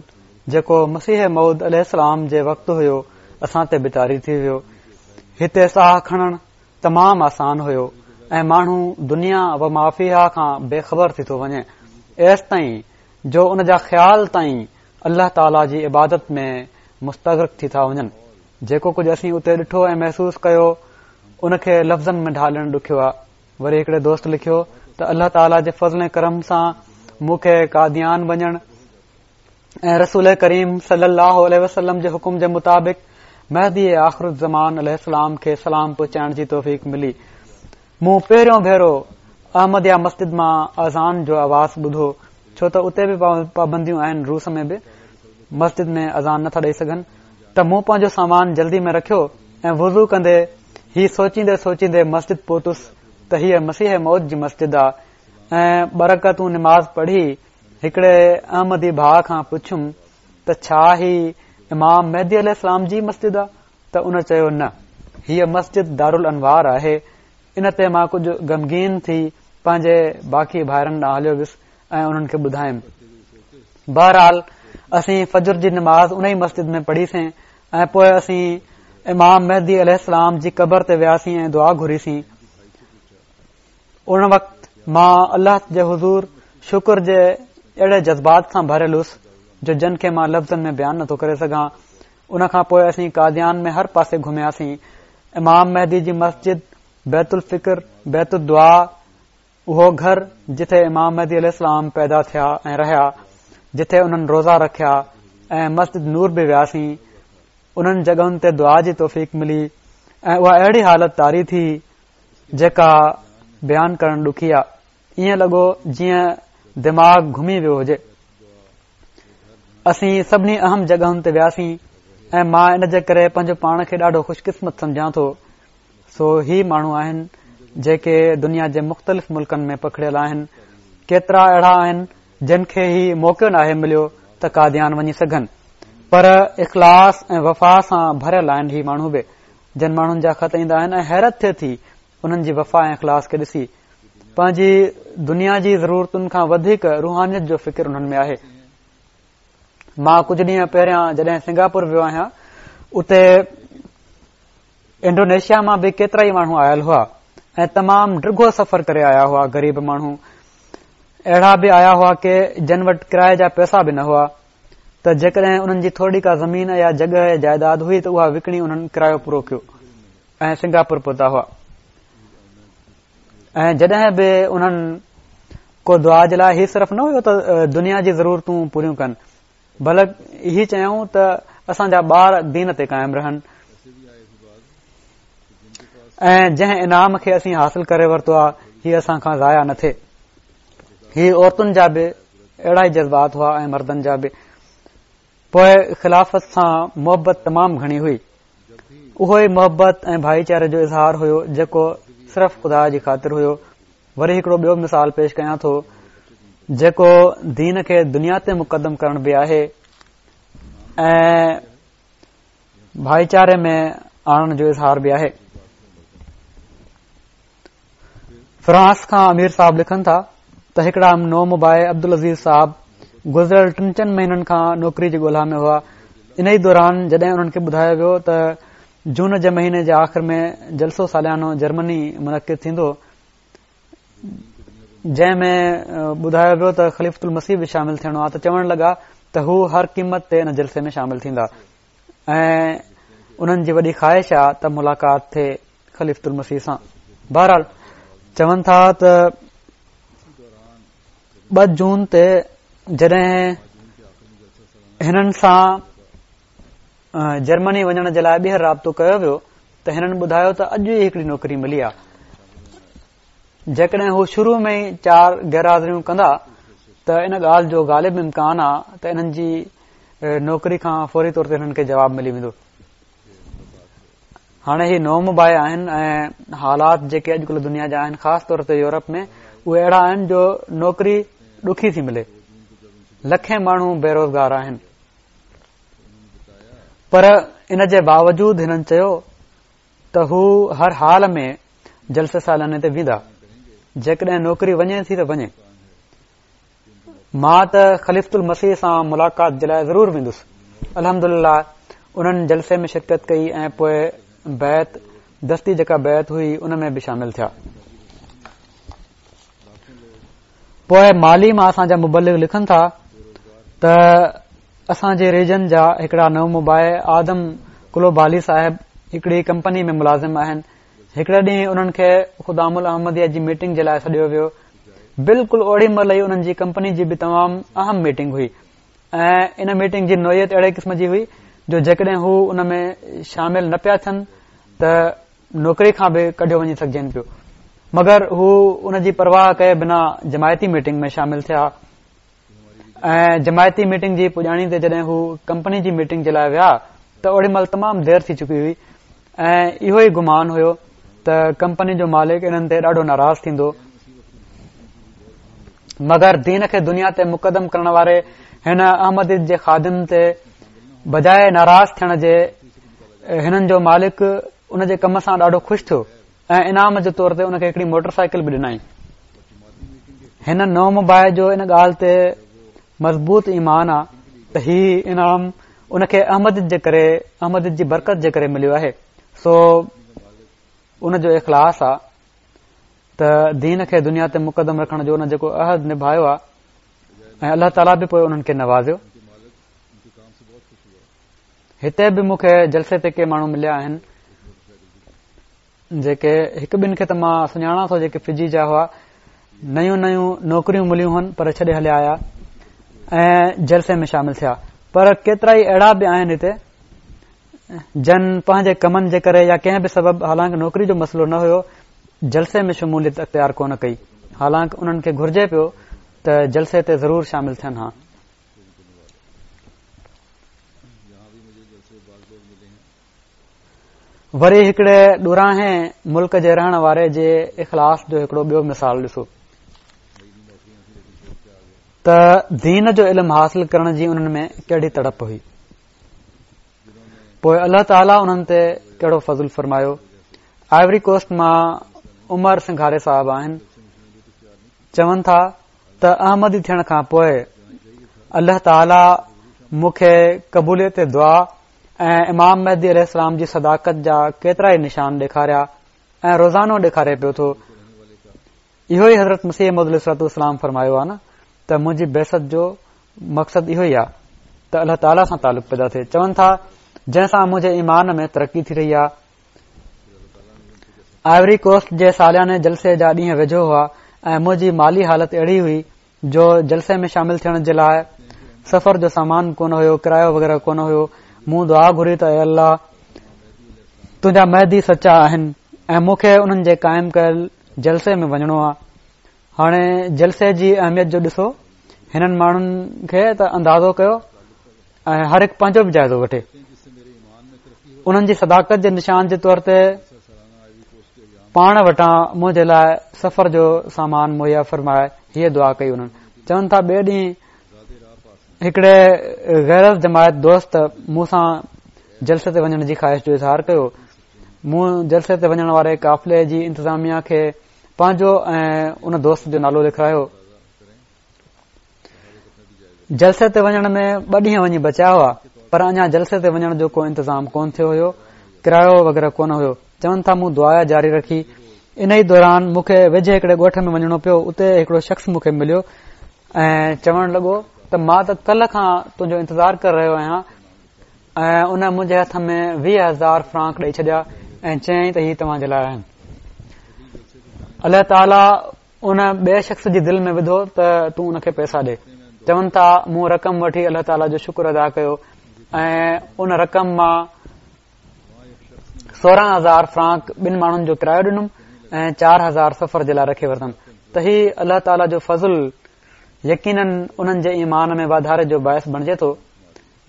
جيڪو مسيح موعود عليه السلام جي وقت هيو اسان تي به طاري ٿي ويو. هتي ساهه کڻڻ تمام آسان هيو ۽ ماڻهو دنيا و مافيها کان بي خبر ٿي ٿو وڃي، ايستائين جو ان جا خيال تائين الله تعاليٰ جي عبادت ۾ مستغرق ٿي ٿا وڃن. جيڪو ڪجهه اسين اتي ڏٺو ۽ محسوس ڪيو ان کي لفظن ۾ ڍالڻ ڏکيو آهي. وري هڪڙي دوست لکيو ته الله تعاليٰ جي فضل ۽ ڪرم سان مون کي قاديان وڃڻ ۽ رسول ڪريم صلي الله عليه وسلم جي حڪم جي مطابق مهدي آخر الزمان عليه السلام کي سلام پهچائڻ جي توفيق ملي. مون پهريون ڀيرو احمديه مسجد مان اذان جو آواز ٻڌو، ڇو ته اتي به پابنديون آهن، روس ۾ به مسجد ۾ اذان نٿا ڏئي سگهن، ته مون پنهنجو سامان جلدي ۾ رکيو ۽ وضو ڪندي هي سوچيندي سوچيندي مسجد پهتس ته هيء مسيح موعود جي مسجد آ، ۽ ٻه رڪعتون نماز پڙهي هڪڙي احمدي ڀاء کان پڇيم ته ڇا هي امام مهدي عليه السلام جي مسجد آ؟ ته ان چيو نه، هيء مسجد دارالانوار آهي. ان تي مان ڪجهه غمگين ٿي پنهنجي باقي ڀائرن ڏانهن هليو ويس ۽ انهن کي ٻڌايم. بهرحال اسين فجر جي نماز ان ئي مسجد ۾ پڙهيسين ۽ پوء اسين امام مهدي عليه السلام جي قبر تي وياسين ۽ دعا گهريسين. ان وقت مان الله جي حضور شڪر جي اهڙي جذبات سان ڀريل هوس جو جن کي مان لفظن ۾ بيان نٿو ڪري سگهان. ان کان پوءِ اسين قاديان ۾ هر پاسي گهمياسين. امام مهدي جي مسجد، بيت الفڪر، بيت الدعا، اهو گهر جتي امام مهدي عليه السلام پيدا ٿيا ۽ رهيا، جتي انهن روزا رکيا، ۽ مسجد نور به وياسين. انهن جڳهن تي دعا جي توفيق ملي ۽ اها اهڙي حالت طاري ٿي جيڪا بيان ڪرڻ ڏکي آهي. ائين لڳو جيئن دماغ گهمي ويو هجي. اسين سڀني اهم جڳهن تي وياسين ۽ مان ان جي ڪري پنهنجو پاڻ کي ڏاڍو خوش قسمت سمجهان ٿو. سو هي ماڻهو آهن جيڪي دنيا جي مختلف ملڪن ۾ پکڙيل آهن. ڪيترا اهڙا آهن جن کي هي موقعو ناهي مليو ته قاديان وڃي سگهن، پر اخلاص ۽ وفا سان ڀريل آهن هي ماڻهو به، جن ماڻهن جا خط ايندا آهن ۽ حيرت ٿئي ٿي انهن جي وفا ۽ اخلاص کي ڏسي. پنهنجي دنيا جي ضرورتن کان وڌيڪ روحانيت جو فڪر انهن ۾ آهي. مان ڪجهه ڏينهن پهريان جڏهن سنگاپور ويو آهيان، اتي انڊونيشيا مان به ڪيترا ئي ماڻهو آيل هئا ۽ تمام ڊگهو سفر ڪري آيا هئا. غريب ماڻهو اهڙا به آيا هئا ڪي جن وٽ ڪرائي جا پئسا به نه هئا، ته جيڪڏهن انهن جي ٿوري ڪا زمين يا جڳهه يا جائيداد هئي ته اها وڪڻي انهن ڪرايو پورو ڪيو ۽ سنگاپور پهتا هئا. ۽ جڏهن به انهن ڪو دعا جي لاءِ هي صرف نه هيو ته دنيا جي ضرورتون پوريون ڪن، بلڪ هي چيائون ته اسان جا ٻار دين تي قائم رهن ۽ جنهن انعام کي اسين حاصل ڪري ورتو آهي هي اسان کان ضايع نه ٿئي. هي عورتن جا به اهڙا ئي جذبات هئا ۽ مردن جا به. پوءِ خلافت سان محبت تمام گهڻي هئي. اهو ئي محبت ۽ ڀائيچاري جو اظهار هيو جيڪو صرف خدا جي خاطر هيو. وري هڪڙو ٻيو مثال پيش ڪيان ٿو جيڪو دين کي دنيا تي مقدم ڪرڻ به آهي ۽ ڀائيچاري ۾ آڻڻ جو اظهار به آهي. فرانس کان امير صاحب لکن ٿا ته هڪڙا نومبائع عبدالعزيز صاحب گذريل ٽن چئن مهينن کان نوڪري جي ڳولها ۾ هئا. ان ئي دوران جڏهن انهن کي ٻڌايو ويو ته جون جي مهيني جي آخر ۾ جلسو ساليانو جرمني منعقد ٿيندو، جنهن ۾ ٻڌايو ويو ته خليفة المسيح به شامل ٿيڻو آهي، ته چوڻ لڳا ته هو هر قيمت تي ان جلسي ۾ شامل ٿيندا ۽ انهن جي وڏي خواهش آهي ته ملاقات ٿئي خليفة المسيح سان. بهرحال چون ٿا ته ٻه جون تي جڏهن هنن سان جرمني وڃڻ جي لاءِ ٻيهر رابطو ڪيو ويو ته هنن ٻڌايو ته اڄ ئي هڪڙي نوڪري ملي آهي، جيڪڏهن هو شروع ۾ ئي چار غير حاضريون ڪندا ته ان ڳالهه جو غالب امڪان آهي ته انهن جي نوڪري کان فوري طور تي هنن کي جواب ملي ويندو. هاڻي هي نومبائع آهن ۽ حالات جيڪي اڄڪلهه دنيا جا آهن، خاص طور تي يورپ ۾ اهي اهڙا آهن جو نوڪري ڏکي ٿي ملي، لکين ماڻهو بيروزگار آهن. پر ان جي باوجود هنن چيو ته هو هر حال ۾ جلسي سالاني تي ويندا، جيڪڏهن نوڪري وڃي ٿي ته وڃي، مان ته خليفة المسيح سان ملاقات جي لاءِ ضرور ويندس. الحمدلله انهن جلسي ۾ شرڪت ڪئي ۽ پوءِ بيعت دستي جيڪا بيعت هئي ان ۾ به شامل ٿيا. پوءِ مالي مان اسان جا مبلغ لکن ٿا ته اسان جي ريجن جا هڪڙا نومبائع آدم ڪلوبالي صاحب هڪڙي ڪمپني ۾ ملازم آهن. هڪڙي ڏينهن انهن کي خدام الاحمديه جي ميٽنگ جي لاءِ سڏيو ويو. بلڪل اوڙي مهل ئي انهن جي ڪمپني جي به تمام اهم ميٽنگ هئي ۽ ان ميٽنگ جي نوعيت اهڙي قسم جي هئي جو جيڪڏهن هو ان ۾ شامل نه پيا ٿين ته نوڪري کان به ڪڍيو وڃي سگهجن پيو، مگر هو ان جي پرواهه ڪئي بنا جماعتي ميٽنگ ۾ شامل ٿيا ۽ جماعتي ميٽنگ جي پڄاڻي تي جڏهن هو ڪمپني جي ميٽنگ جي لاءِ ويا ته اوڙي مهل تمام دير ٿي چڪي هئي ۽ اهو ئي گمان هيو ته ڪمپني جو مالڪ انهن تي ڏاڍو ناراض ٿيندو، مگر دين کي دنيا تي مقدم ڪرڻ واري هن احمديت جي خادم تي بجاءِ ناراض ٿيڻ جي هنن جو مالڪ ان جي ڪم سان ڏاڍو خوش ٿيو ۽ انعام جي طور تي ان کي هڪڙي موٽر سائيڪل به ڏنائين. هن نومبائع جو ان ڳالهه تي مضبوط ايمان آ ته هي انعام ان کي احمديت جي ڪري، احمديت جي برڪت جي ڪري مليو آهي. سو ان جو اخلاص آ ته دين کي دنيا تي مقدم رکڻ جو ان جيڪو عهد نڀايو آ ۽ الله تعاليٰ به پوءِ انهن کي نوازيو. هتي به مون کي جلسي تي ڪي ماڻهو مليا آهن جيڪي هڪ ٻن کي ته مان سڃاڻان ٿو، جيڪي فجي جا هئا، نيون نيون نوڪريون مليون هن پر ڇڏي هليا آيا ۽ جلسي ۾ شامل ٿيا. پر ڪيترا ئي اهڙا به آهن هتي جن پنهنجي ڪمن جي ڪري يا ڪنهن به سبب، حالانڪه نوڪري جو مسئلو نه هيو، جلسي ۾ شموليت اختيار ڪونه ڪئي، حالانڪه انهن کي گهرجي پيو ته جلسي تي ضرور شامل ٿين ها. وري هڪڙي ڏورانهين ملڪ جي رهڻ واري جي اخلاص جو هڪڙو ٻيو مثال ڏسو ته دين جو علم حاصل ڪرڻ جي انهن ۾ ڪهڙي تڙپ هئي. پوءِ الله تعاليٰ انهن تي ڪهڙو فضل فرمايو. آئيوري ڪوسٽ مان عمر سنگهاري صاحب آهن، چون ٿا ته احمدي ٿيڻ کان پوءِ الله تعاليٰ مون کي قبوليت دعا ۽ امام مهدي عليه السلام جي صداقت جا ڪيترا ئي نشان ڏيکاريا ۽ روزانو ڏيکاري پيو ٿو. اهو ئي حضرت مسيح موعود عليه الصلوة والسلام فرمايو آهي نه ته منهنجي بعثت جو مقصد اهو ئي آهي ته الله تعاليٰ سان تعلق پيدا ٿئي. چون ٿا جنهن سان منهنجي ايمان ۾ ترقي ٿي رهي آهي. آئيوري ڪوسٽ جي سالياني جلسي جا ڏينهن ويجهو هئا ۽ منهنجي مالي حالت اهڙي هئي جو جلسي ۾ شامل ٿيڻ جي لاءِ سفر جو سامان ڪونه هيو، ڪرايو وغيره ڪونه هيو. مون دعا گهري ته اي الله، تنهنجا مهدي سچا آهن ۽ مون کي انهن جي قائم ڪيل جلسي ۾ وڃڻو آهي. هاڻي جلسي جي اهميت جو ڏسو، هنن ماڻهن کي ته اندازو ڪيو ۽ هر هڪ پنهنجو به جائزو وٺي. انهن جي صداقت جي نشان جي طور تي پاڻ وٽان منهنجي لاءِ سفر جو سامان مهيا فرمائي هيءَ دعا ڪئي. انهن چون ٿا ٻئي ڏينهن هڪڙي غير جماعت دوست مون سان جلسي تي وڃڻ جي خواهش جو اظهار ڪيو. مون جلسي تي وڃڻ واري قافلي جي انتظاميا کي پنهنجو ۽ ان دوست جو نالو لکرايو. جلسي تي وڃڻ ۾ ٻه ڏينهن وڃي بچيا هئا، پر اڃا جلسي تي وڃڻ جو ڪو انتظام ڪونه ٿيو هيو، ڪرايو وغيره ڪونه هيو. چون ٿا مون دعا جاري رکي. ان ئي دوران مون کي ويجهي هڪڙي ڳوٺ ۾ وڃڻو پيو. اتي هڪڙو شخص مون کي مليو ۽ چوڻ لڳو ته مان ته ڪلهه کان تنهنجو انتظار ڪري رهيو آهيان، ۽ ان منهنجي هٿ ۾ ويهه هزار فرانڪ ڏئي ڇڏيا ۽ چيائين ته هي توهان جي لاءِ آهن. الله تعاليٰ ان ٻئي شخص جي دل ۾ وڌو ته تون ان کي پئسا ڏي. چون ٿا مون رقم وٺي الله تعاليٰ جو شڪر ادا ڪيو ۽ ان رقم مان سورهن هزار فرانڪ ٻن ماڻهن جو ڪرايو ڏنم ۽ چار هزار سفر جي لاءِ رکي ورتم. ته هي الله تعاليٰ جو فضل يقينن انهن جي ايمان ۾ واڌاري جو باعث بڻجي ٿو،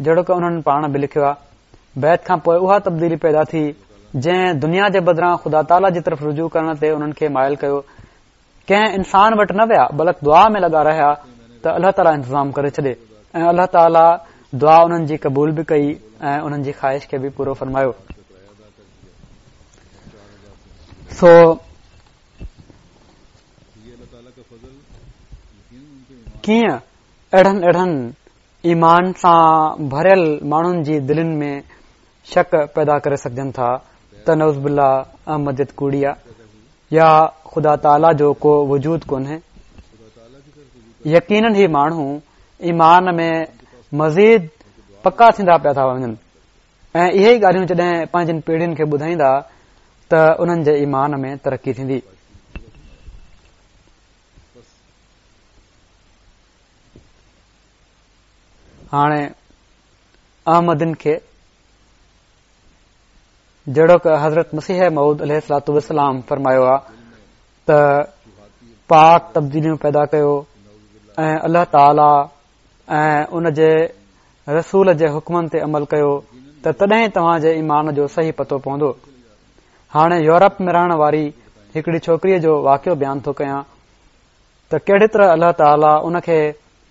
جهڙوڪ انهن پاڻ به لکيو آهي. بيعت کان پوءِ اها تبديلي پيدا ٿي جنهن دنيا جي بدران خدا تعاليٰ جي طرف رجوع ڪرڻ تي انهن کي مائل ڪيو. ڪنهن انسان وٽ نه ويا، بلڪ دعا ۾ لڳا رهيا ته الله تعاليٰ انتظام ڪري ڇڏي، ۽ الله تعاليٰ دعا انهن جي قبول به ڪئي ۽ انهن جي خواهش کي به پورو فرمايو. سو ڪيئن اهڙن اهڙن ايمان سان ڀريل ماڻهن جي دلين ۾ شڪ پيدا ڪري سگهجن ٿا ته نعوذ بالله احمديت ڪوڙي آ يا خدا تعاليٰ جو ڪو وجود ڪونهي. يقينن هي ماڻهو ايمان ۾ مزيد پڪا ٿيندا پيا ٿا وڃن ۽ اهي ئي ڳالهيون جڏهن پنهنجن پيڙهين کي ٻڌائيندا ته انهن جي ايمان ۾ ترقي ٿيندي. هاڻي احمدين کي جهڙوڪ حضرت مسيح موعود عليه الصلوة والسلام فرمايو آ ته پاڪ تبديليون پيدا ڪيو ۽ الله تعاليٰ ۽ ان جي رسول جي حڪمن تي عمل ڪيو ته تڏهن توهان جي ايمان جو صحيح پتو پوندو. هاڻي يورپ ۾ رهڻ واري هڪڙي ڇوڪريءَ جو واقعو بيان ٿو ڪيان ته ڪهڙي طرح الله تعاليٰ ان کي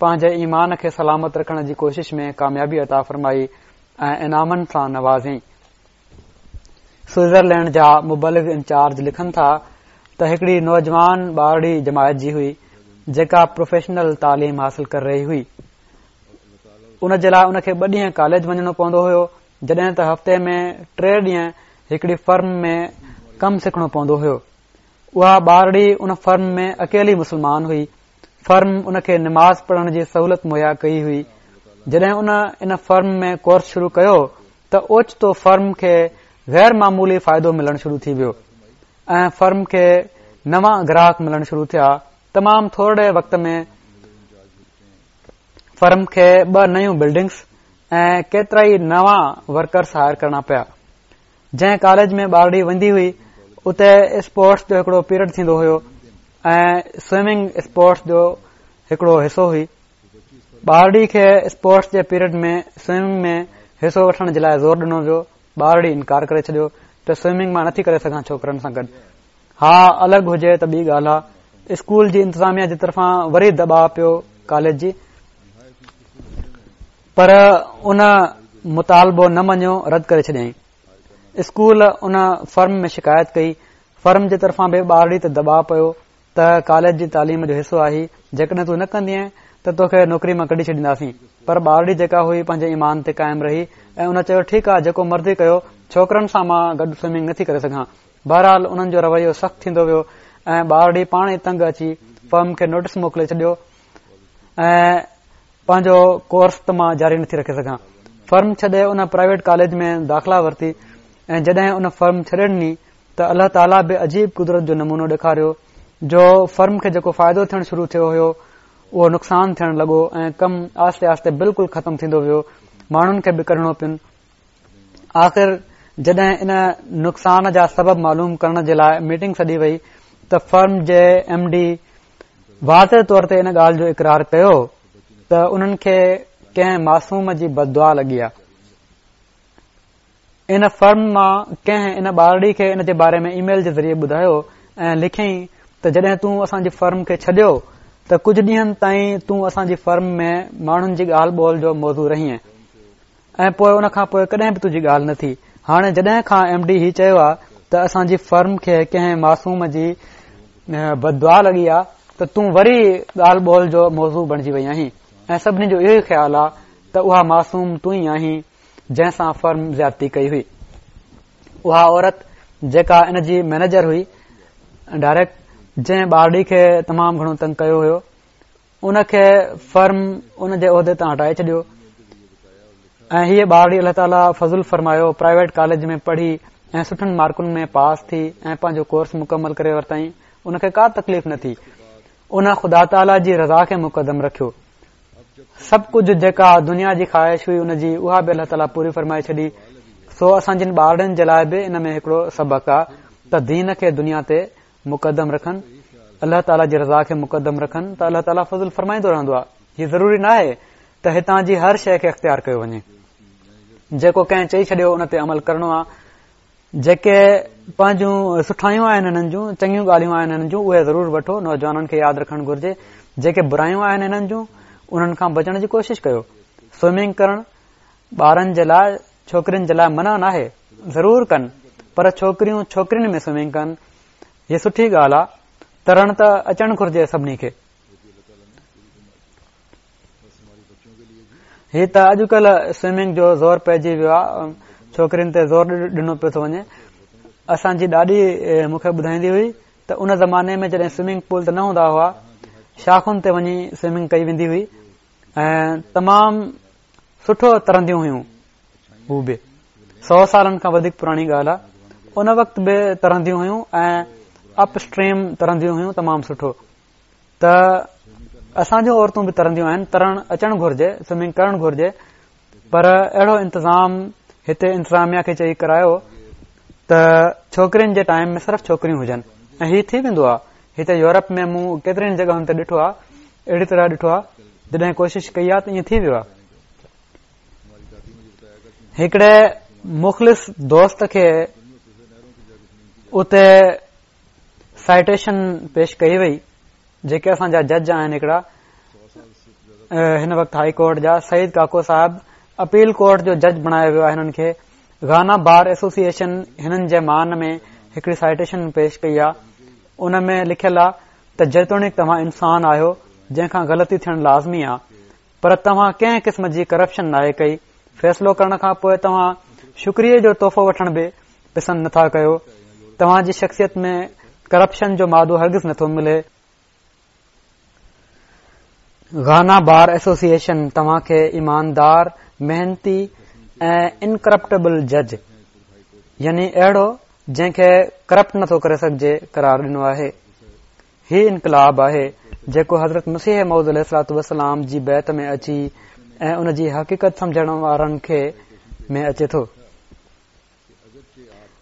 پنهنجي ايمان کي سلامت رکڻ جي ڪوشش ۾ ڪاميابي عطا فرمائي ۽ انعامن سان نوازيائين. سوئٽزرلينڊ جا مبلغ انچارج لکن ٿا ته هڪڙي نوجوان ٻارڙي جماعت جي هئي جيڪا پروفيشنل تعليم حاصل ڪري رهي هئي. ان جي لاءِ ان کي ٻه ڏينهن ڪاليج وڃڻو پوندو هيو، جڏهن ته هفتي ۾ ٽي ڏينهن هڪڙي فرم ۾ ڪم سکڻو پوندو هيو. اها ٻارڙي ان فرم ۾ اڪيلي مسلمان هئي. فرم ان کي نماز پڙهڻ جي سهولت مهيا ڪئي هئي. جڏهن ان ان فرم ۾ ڪورس شروع ڪيو ته اوچتو فرم کي غير معمولي فائدو ملڻ شروع ٿي ويو ۽ فرم کي نوان گراهڪ ملڻ شروع ٿيا. تمام ٿورڙي وقت ۾ فرم کي ٻه نيون بلڊنگس ۽ ڪيترائي نوان ورڪرس هائر ڪرڻا پيا. جنهن ڪاليج ۾ ٻارڙي ويندي هئي اتي اسپورٽس جو هڪڙو پيريڊ ٿيندو هيو ۽ سوئمنگ اسپورٽس جو هڪڙو حصو هئي. ٻارڙي کي اسپورٽس جي پيريڊ ۾ سوئمنگ ۾ حصو وٺڻ جي لاء زور ڏنو ويو. ٻارڙي انڪار ڪري ڇڏيو ته سوئمنگ مان نٿي ڪري سگهان ڇوڪرن سان گڏ، ها الڳ هجي ته ٻي ڳالهه آ. اسڪول جي انتظاميا جي طرفان وري دٻاء پيو ڪاليج جي، پر ان مطالبو نه مڃيو، رد ڪري ڇڏيائين. اسڪول ان فرم ۾ شڪايت ڪئي. فرم جي طرفان به ٻارڙي تي دٻاء پيو ته ڪاليج جي تعليم جو حصو آهي، جيڪڏهن تون نه ڪندينء ته توکي نوڪري مان ڪڍي ڇڏينداسين. پر ٻارڙي جيڪا هئي پنهنجي ايمان تي قائم رهي ۽ ان چيو ٺيڪ آ جيڪو مرضي ڪيو، ڇوڪرن سان مان گڏ سوئمنگ نٿي ڪري سگهان. بهرحال انهن جو رويو سخت ٿيندو ويو ۽ ٻارڙي پاڻ ئي تنگ اچي فرم کي نوٽس موڪلي ڇڏيو ۽ پنهنجو ڪورس ته مان جاري نٿي رکي سگهان. فرم ڇڏي ان پرائيويٽ ڪاليج ۾ داخلا ورتي ۽ جڏهن ان فرم ڇڏي ڏني ته الله تعاليٰ به عجيب قدرت جو نمونو ڏيکاريو جو فرم کي جيڪو فائدو ٿيڻ شروع ٿيو هيو اهو نقصان ٿيڻ لڳو ۽ ڪم آهستي آهستي بلڪل ختم ٿيندو ويو. ماڻهن کي به ڪڍڻو پين. آخر جڏهن ان نقصان جا سبب معلوم ڪرڻ جي لاء ميٽنگ سڏي وئي ته فرم جي ايم ڊي واضح طور تي ان ڳالهه جو اقرار ڪيو ته انهن کي ڪنهن معصوم جي بددعا لڳي آ. ان فرم مان ڪنهن ان ٻارڙي کي ان جي باري ۾ اي ميل جي ذريعي ٻڌايو ۽ لکيائين ته جڏهن تون اسان جي فرم کي ڇڏيو ته ڪجهه ڏينهن تائين تون اسان جي فرم ۾ ماڻهن جي ڳالهه ٻولهه جو موضوع رهينء ۽ پوء ان کان پوء ڪڏهن به تنهنجي ڳالهه نه ٿي. هاڻي جڏهن کان ايم ڊي هي چيو آ ته اسان جي فرم کي ڪنهن معصوم جي بددعا لڳي آ ته تون وري ڳالهه ٻولهه جو موضوع بڻجي وئي آهين ۽ سڀني جو اهو ئي خيال آ ته اها معصوم تون ئي آهين جنهن سان فرم زيادتي ڪئي هئي. اها عورت جيڪا ان جي مئنيجر هئي ڊائريڪٽ، جنهن ٻارڙي کي تمام گهڻو تنگ ڪيو هيو، ان کي فرم ان جي عهدي تان هٽائي ڇڏيو ۽ هيء ٻارڙي الله تعاليٰ فضل فرمايو پرائيويٽ ڪاليج ۾ پڙهي ۽ سٺن مارڪن ۾ پاس ٿي ۽ پنهنجو ڪورس مڪمل ڪري ورتائين. ان کي ڪا تڪليف نه ٿي. ان خدا تعاليٰ جي رضا کي مقدم رکيو. سڀ ڪجهه جيڪا دنيا جي خواهش هئي ان جي، اها به الله تعاليٰ پوري فرمائي ڇڏي. سو اسان جن ٻارڙن جي لاء به ان ۾ هڪڙو سبق آ ته دين کي دنيا تي مقدم رکن، الله تعاليٰ جي رضا کي مقدم رکن ته الله تعاليٰ فضل فرمائيندو رهندو آ. هي ضروري ناهي ته هتان جي هر شيء کي اختيار ڪيو وڃي. جيڪو ڪنهن چئي ڇڏيو ان تي عمل ڪرڻو آ. جيڪي پنهنجون سٺايون آهن هنن جون، چڱيون ڳالهيون آهن هنن جون، اهي ضرور وٺو. نوجوانن کي ياد رکڻ گهرجي جيڪي برايون آهن هنن جون انهن کان بچڻ جي ڪوشش ڪيو. سوئمنگ ڪرڻ ٻارن جي لاء، ڇوڪرين جي لاء منع ناهي، ضرور ڪن، پر ڇوڪريون ڇوڪرين ۾ سوئمنگ ڪن، هي سٺي ڳالهه آ. ترڻ ته اچڻ گهرجي سڀني کي. هي ته اڄڪلهه سوئمنگ جو زور پئجي ويو آ، ڇوڪرين تي زور ڏنو پيو ٿو وڃي. اسان جي ڏاڏي مون کي ٻڌائيندي هئي ته ان زماني ۾ جڏهن سوئمنگ پول ته نه هوندا هئا، شاخن تي وڃي سوئمنگ ڪئي ويندي هئي ۽ تمام سٺو ترنديون هيون. هو به سؤ سالن کان وڌيڪ پراڻي ڳالهه آ. ان وقت به ترنديون هيون ۽ اپ اسٽريم ترنديون هيون تمام سٺو. ته اسان جون عورتون به ترنديون آهن، ترڻ اچڻ گهرجي، سوئمنگ ڪرڻ گهرجي، پر اهڙو انتظام هتي انتظاميا کي چئي ڪرايو ته ڇوڪرين جي ٽائيم ۾ صرف ڇوڪريون هجن ۽ هي ٿي ويندو آ. هتي يورپ ۾ مون ڪيترين جڳهن تي ڏٺو آ، اهڙي طرح ڏٺو آ، جڏهن ڪوشش ڪئي آ ته ائين ٿي ويو آ. هڪڙي مخلص دوست کي اتي سائٽيشن پيش ڪئي وئي، جيڪي اسان جا جج آهن هڪڙا هن وقت هائي ڪورٽ جا، سعيد ڪاڪو صاحب اپيل ڪورٽ جو جج بڻايو ويو آهي هنن کي. گانا بار ايسوسيئيشن هنن جي مان ۾ هڪڙي سائٽيشن پيش ڪئي آهي، ان ۾ لکيل آهي ته جيتوڻيڪ توهان انسان آهيو جنهن کان غلطي ٿيڻ لازمي آهي، پر توهان ڪنهن قسم جي ڪرپشن ناهي ڪئي، فيصلو ڪرڻ کان پوء توهان شڪريي جو تحفو وٺڻ به پسند نٿا ڪيو، توهان جي شخصيت ۾ ڪرپشن جو مادو هرگز نٿو ملي. گهانا بار ايسوسيئيشن توهان کي ايماندار، محنتي ۽ انڪرپٽبل جج يعني اهڙو جنهن کي ڪرپٽ نٿو ڪري سگهجي قرار ڏنو آهي. هي انقلاب آهي جيڪو حضرت مسيح موعود عليه الصلوة والسلام جي بيعت ۾ اچي ۽ ان جي حقيقت سمجهڻ وارن کي ۾ اچي ٿو.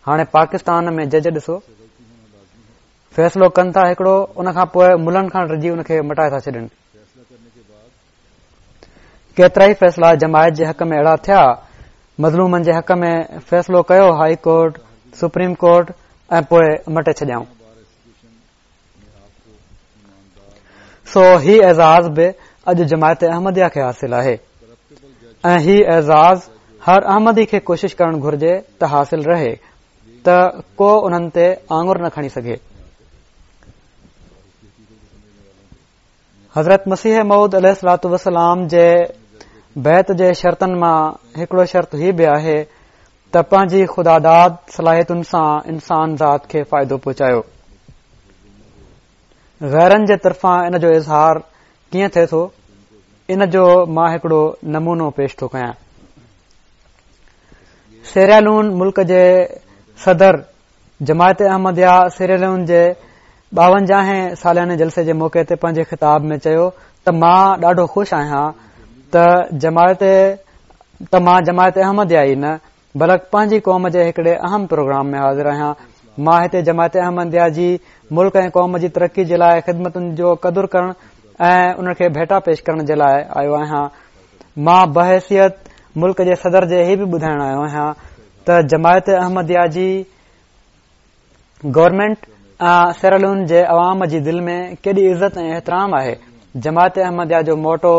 هاڻي پاڪستان ۾ جج ڏسو، فيصلو ڪن ٿا هڪڙو، ان کان پوء ملن کان ڊڄي ان کي مٽائي ٿا ڇڏين. ڪيترائي فيصلا جماعت جي حق ۾ اهڙا ٿيا، مظلومن جي حق ۾ فيصلو ڪيو هائي ڪورٽ، سپريم ڪورٽ ۽ پوء مٽي ڇڏيائون. سو هي اعزاز به اڄ جماعت احمديه کي حاصل آهي ۽ هي اعزاز هر احمدي کي ڪوشش ڪرڻ گهرجي ته حاصل رهي ته ڪو انهن تي آڱر نه کڻي سگهي. حضرت مسيح موعود عليه الصلوة والسلام جي بيعت جي شرطن مان هڪڙو شرط هي به آهي ته پنهنجي خداداد صلاحيتن سان انسان ذات کي فائدو پهچايو. غيرن جي طرفان ان جو اظهار ڪيئن ٿئي ٿو، ان جو مان هڪڙو نمونو پيش ٿو ڪيان. سيراليون ملڪ جي صدر جماعت احمديه سيراليون جي ٻاونجاهين سالياني جلسي جي موقعي تي پنهنجي خطاب ۾ چيو ته مان ڏاڍو خوش آهيان ته جماعت ته مان جماعت احمديه ئي نه بلڪ پنهنجي قوم جي هڪڙي اهم پروگرام ۾ حاضر آهيان. مان هتي جماعت احمديه جي ملڪ ۽ قوم جي ترقي جي لاء خدمتن جو قدر ڪرڻ ۽ ان کي ڀيٽا پيش ڪرڻ جي لاء آيو آهيان. مان بحيثيت ملڪ جي صدر جي هي به ٻڌائڻ آيو آهيان ته جماعت احمديه جي گورنمينٽ ۽ سيراليون جي عوام جي دل ۾ ڪيڏي عزت ۽ احترام آهي. جماعت احمديه جو motto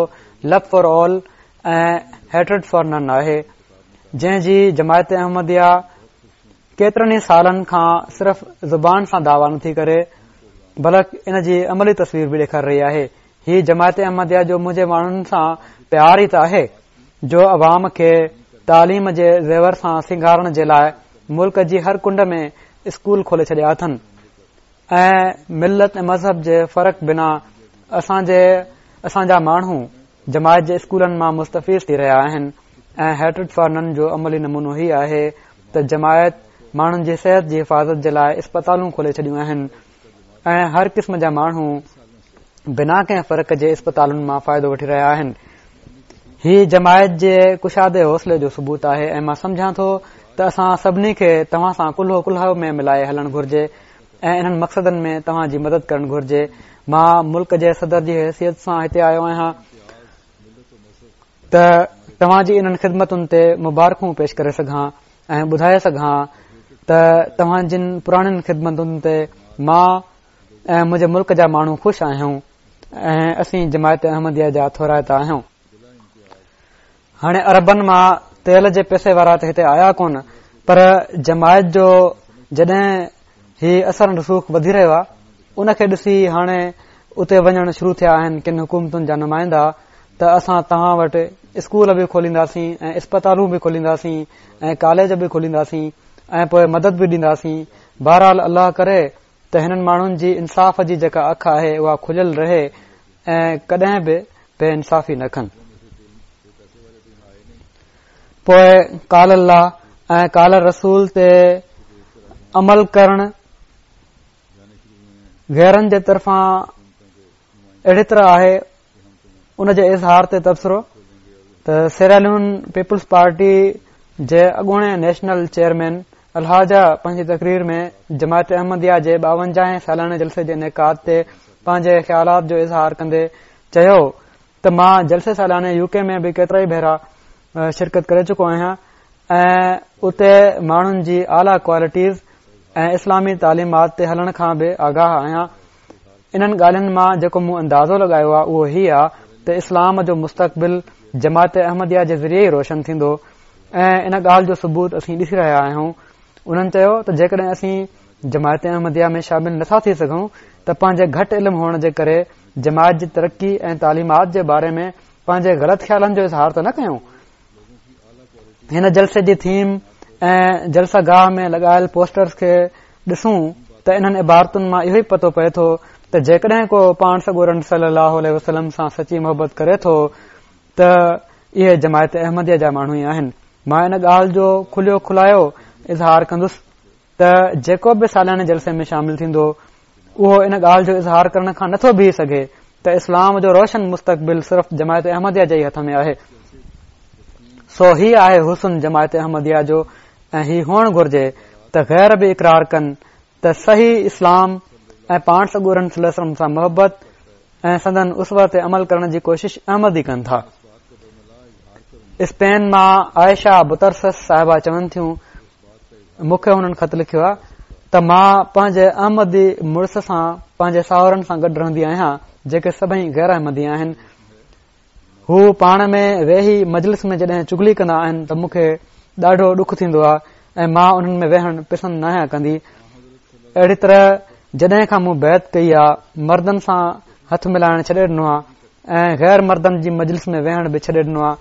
love for all ۽ hatred for none آهي، جنهن جي جماعت احمديه ڪيترن ئي سالن کان صرف زبان سان دعويٰ نٿي ڪري بلڪ ان جي عملي تصوير به ڏيکاري رهي آهي. هي جماعت احمديه جو منهنجي ماڻهن سان پيار ئي ته آهي جو عوام کي تعليم جي زيور سان سينگارڻ جي لاء ملڪ جي هر ڪنڊ ۾ اسڪول کولي ڇڏيا اٿن ۽ ملت ۽ مذهب جي فرق بنا اسان جي اسان جا ماڻهو جماعت جي اسڪولن مان مستفيض ٿي رهيا آهن ۽ هيٽرڊ فار نن جو عملي نمونو هي آهي ته جماعت ماڻهن جي صحت جي حفاظت جي لاء اسپتالون کولي ڇڏيون آهن ۽ هر قسم جا ماڻهو بنا ڪنهن فرق جي اسپتالن مان فائدو وٺي رهيا آهن. هي جماعت جي ڪشادي حوصلي جو ثبوت آهي ۽ مان سمجهان ٿو ته اسان سڀني کي توهان سان ڪلهو ڪلهو ۾ ملائي هلڻ گهرجي ۽ انهن مقصدن ۾ توهان جي مدد ڪرڻ گهرجي. مان ملڪ جي صدر جي حيثيت سان هتي آيو آهيان ته توهان جي انهن خدمتن تي مبارڪون پيش ڪري سگهان ۽ ٻڌائي سگهان ته توهان جن پراڻين خدمتن تي مان ۽ منهنجي ملڪ جا ماڻهو خوش آهيون ۽ اسين جماعت احمديه جا ٿورائتا آهيون. هاڻي عربن مان تيل جي پئسي وارا ته هتي آيا ڪونه پر جماعت جو جڏهن هي اثر رسوخ وڌي رهيو آهي ان کي ڏسي هاڻي اتي وڃڻ شروع ٿيا آهن ڪن حڪومتن جا نمائندا ته اسان توهان وٽ اسڪول به کولينداسين ۽ اسپتالون به کولينداسين ۽ ڪاليج به کولينداسين ۽ پوء مدد به ڏينداسين. بهرحال الله ڪري ته هنن ماڻهن جي انصاف جي جيڪا اک آهي اها کليل رهي ۽ ڪڏهن به بي انصافي نه ڪن. پوء قال الله ۽ قال رسول تي عمل ڪرڻ غيرن جي طرفان اهڙي طرح آهي ان جي اظهار تي تبصرو ته سيراليون پيپلز پارٽي جي اڳوڻي نيشنل چيئرمين الحاجه پنهنجي تقرير ۾ جماعت احمديه جي ٻاونجاهين سالاني جلسي جي انعقاد تي پنهنجي خيالات جو اظهار ڪندي چيو ته مان جلسي سالاني يو ڪي ۾ به ڪيترائي ڀيرا شرڪت ڪري چڪو آهيان ۽ اتي ماڻهن جي اعليٰ ڪوالٽيز ۽ اسلامي تعليمات تي هلڻ کان به آگاهه آهيان. انهن ڳالهين مان جيڪو مون اندازو لڳايو آهي اهو هي آهي ته اسلام جو مستقبل جماعت احمديه جي ذريعي ئي روشن ٿيندو ۽ ان ڳالهه جو ثبوت اسين ڏسي رهيا آهيون. انهن چيو ته جيڪڏهن اسين جماعت احمديه ۾ شامل نٿا ٿي سگهون ته پنهنجي گهٽ علم هئڻ جي ڪري جماعت جي ترقي ۽ تعليمات جي باري ۾ پنهنجي غلط خيالن جو اظهار ته نه ڪيون. هن جلسي جي ٿيم ۽ جلسه گاهه ۾ لڳايل پوسٽرز کي ڏسون ته انهن عبارتن مان اهو ئي پتو پئي ٿو ته جيڪڏهن ڪو پاڻ سڳورن صلي الله عليه وسلم سان سچي محبت ڪري ٿو ته اهي جماعت احمديه جا ماڻهو ئي آهن. مان ان ڳالهه جو کليو کلايو اظهار ڪندس ته جيڪو به سالياني جلسي ۾ شامل ٿيندو اهو ان ڳالهه جو اظهار ڪرڻ کان نٿو بيهي سگهي ته اسلام جو روشن مستقبل صرف جماعت احمديه جي ئي هٿ ۾ آهي. سو هي آهي حسن جماعت احمديه جو ۽ هي هئڻ گهرجي ته غير به اقرار ڪن ته صحيح اسلام ۽ پاڻ سڳورن صلي الله عليه وسلم سان محبت ۽ سندن اسوه تي عمل ڪرڻ جي ڪوشش احمدي ڪن ٿا. اسپين مان عائشه بطرسس صاحبه چون ٿيون، مون کي هنن خط لکيو آهي ته مان پنهنجي احمدي مڙس سان پنهنجي ساهرن سان گڏ رهندي آهيان جيڪي سڀئي غير احمدي آهن. هو پاڻ ۾ ويهي مجلس ۾ جڏهن چغلي ڪندا آهن ته مون کي ڏاڍو ڏک ٿيندو آهي ۽ مان انهن ۾ ويهڻ پسند ناهيان ڪندي. اهڙي طرح جڏهن کان مون بيعت ڪئي آهي مردن سان هٿ ملائڻ ڇڏي ڏنو آهي ۽ غير مردن جي مجلس ۾ ويهڻ به ڇڏي ڏنو آهي.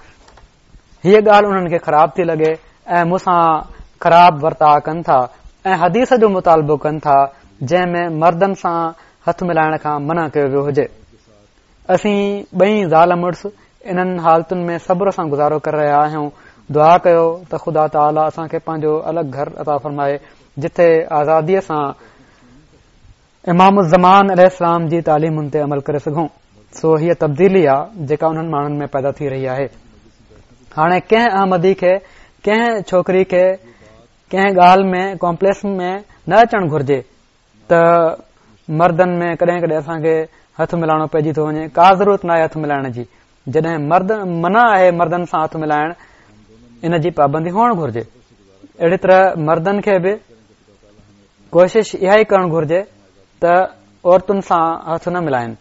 هيء ڳالهه انهن کي خراب ٿي لڳي ۽ مون سان خراب ورتاء ڪن ٿا ۽ حديث جو مطالبو ڪن ٿا جنهن ۾ مردن سان هٿ ملائڻ کان منع ڪيو ويو هجي. اسين ٻئي زال مڙس انهن حالتن ۾ صبر سان گذارو ڪري رهيا آهيون. دعا ڪيو ته خدا تعاليٰ اسان کي پنهنجو الڳ گهر عطا فرمائي جتي آزاديء سان امام الزمان عليه السلام جي تعليمن تي عمل ڪري سگهون. سو هيء تبديلي آ جيڪا انهن ماڻهن ۾ پيدا ٿي رهي آهي. هاڻي ڪنهن احمدي کي ڪنهن ڇوڪري کي ڪنهن ڳالهه ۾ ڪامپليڪس ۾ نه اچڻ گهرجي ته مردن ۾ ڪڏهن ڪڏهن اسان کي هٿ ملائڻو پئجي ٿو وڃي. ڪا ضرورت ناهي هٿ ملائڻ جي. جڏهن مرد منع آهي مردن سان هٿ ملائڻ، ان جي پابندي هئڻ گهرجي. اهڙي طرح مردن کي به ڪوشش اها ئي ڪرڻ گهرجي ته عورتن سان هٿ نه ملائن.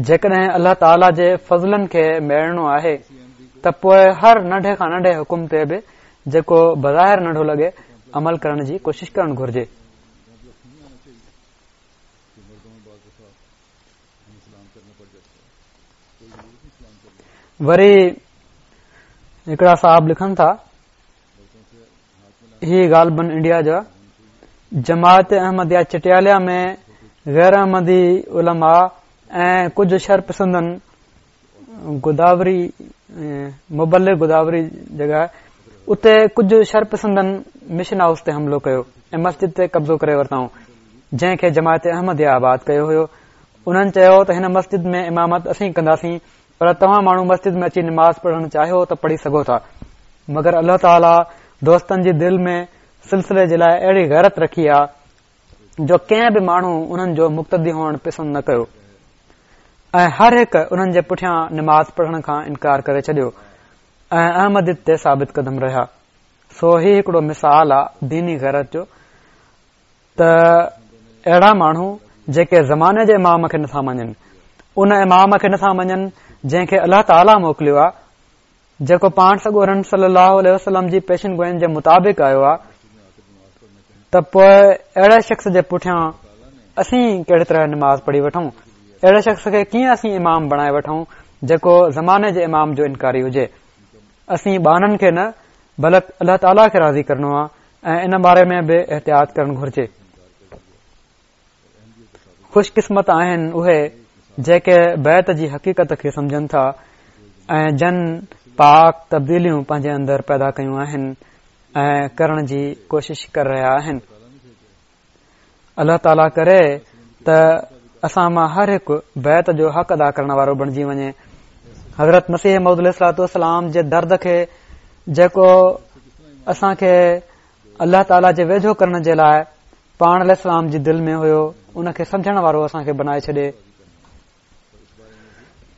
جيڪڏهن الله تعاليٰ جي فضلن کي ميڙڻو آهي ته پوء هر ننڍي کان ننڍي حڪم تي به جيڪو بظاهر ننڍو لڳي عمل ڪرڻ جي ڪوشش ڪرڻ گهرجي. وري هڪڙا صاحب لکن ٿا، هي غالباً انڊيا جا، جماعت احمديه چٽياليا ۾ غير احمدي علماء ۽ ڪجهه شر پسندن گداوري مبلغ گداوري جڳهه اتي ڪجهه شر پسندن مشن هائوس تي حملو ڪيو ۽ مسجد تي قبضو ڪري ورتائون جنهن کي جماعت احمديه آباد ڪيو هيو. انهن چيو ته هن مسجد ۾ امامت اسين ڪنداسين پر توهان ماڻهو مسجد ۾ اچي نماز پڙهڻ چاهيو ته پڙهي سگهو ٿا. مگر الله تعاليٰ دوستن جي دل ۾ سلسلي جي لاء اهڙي غيرت رکي آ جو ڪنهن به ماڻهو انهن جو مقتدي هئڻ پسند نه ڪيو ۽ هر هڪ انهن جي پٺيان نماز پڙهڻ کان انڪار ڪري ڇڏيو ۽ احمديت تي ثابت قدم رهيا. سو هي هڪڙو مثال آ ديني غيرت جو ته اهڙا ماڻهو جيڪي زماني جي امام کي نٿا مڃن، ان امام کي نٿا مڃن جنهن کي الله تعاليٰ موڪليو آ، جيڪو پاڻ سڳورن صلي الله عليه وسلم جي پيشن گوئين جي مطابق آيو آ، ته پوء اهڙي شخص جي پٺيان اسين ڪهڙي طرح نماز پڙهي وٺون؟ اهڙي شخص کي ڪيئن اسين امام بڻائي وٺون جيڪو زماني جي امام جو انڪاري هجي؟ اسين ٻانهن کي نه بلڪ الله تعاليٰ کي راضي ڪرڻو آ ۽ ان باري ۾ به احتياط ڪرڻ گهرجي. خوش قسمت آهن اهي جيڪي بيعت جي حقيقت کي سمجهن ٿا ۽ جن پاڪ تبديليون پنهنجي اندر پيدا ڪيون آهن ۽ ڪرڻ جي ڪوشش ڪري رهيا آهن. الله تعاليٰ ڪري ته اسان مان هر هڪ بيعت جو حق ادا ڪرڻ وارو بڻجي وڃي. حضرت مسيح موعود عليه الصلوة والسلام جي درد کي جيڪو اسان کي الله تعاليٰ جي ويجهو ڪرڻ جي لاء پاڻ عليه السلام جي دل ۾ هيو ان کي سمجهڻ وارو اسان کي بنائي ڇڏي.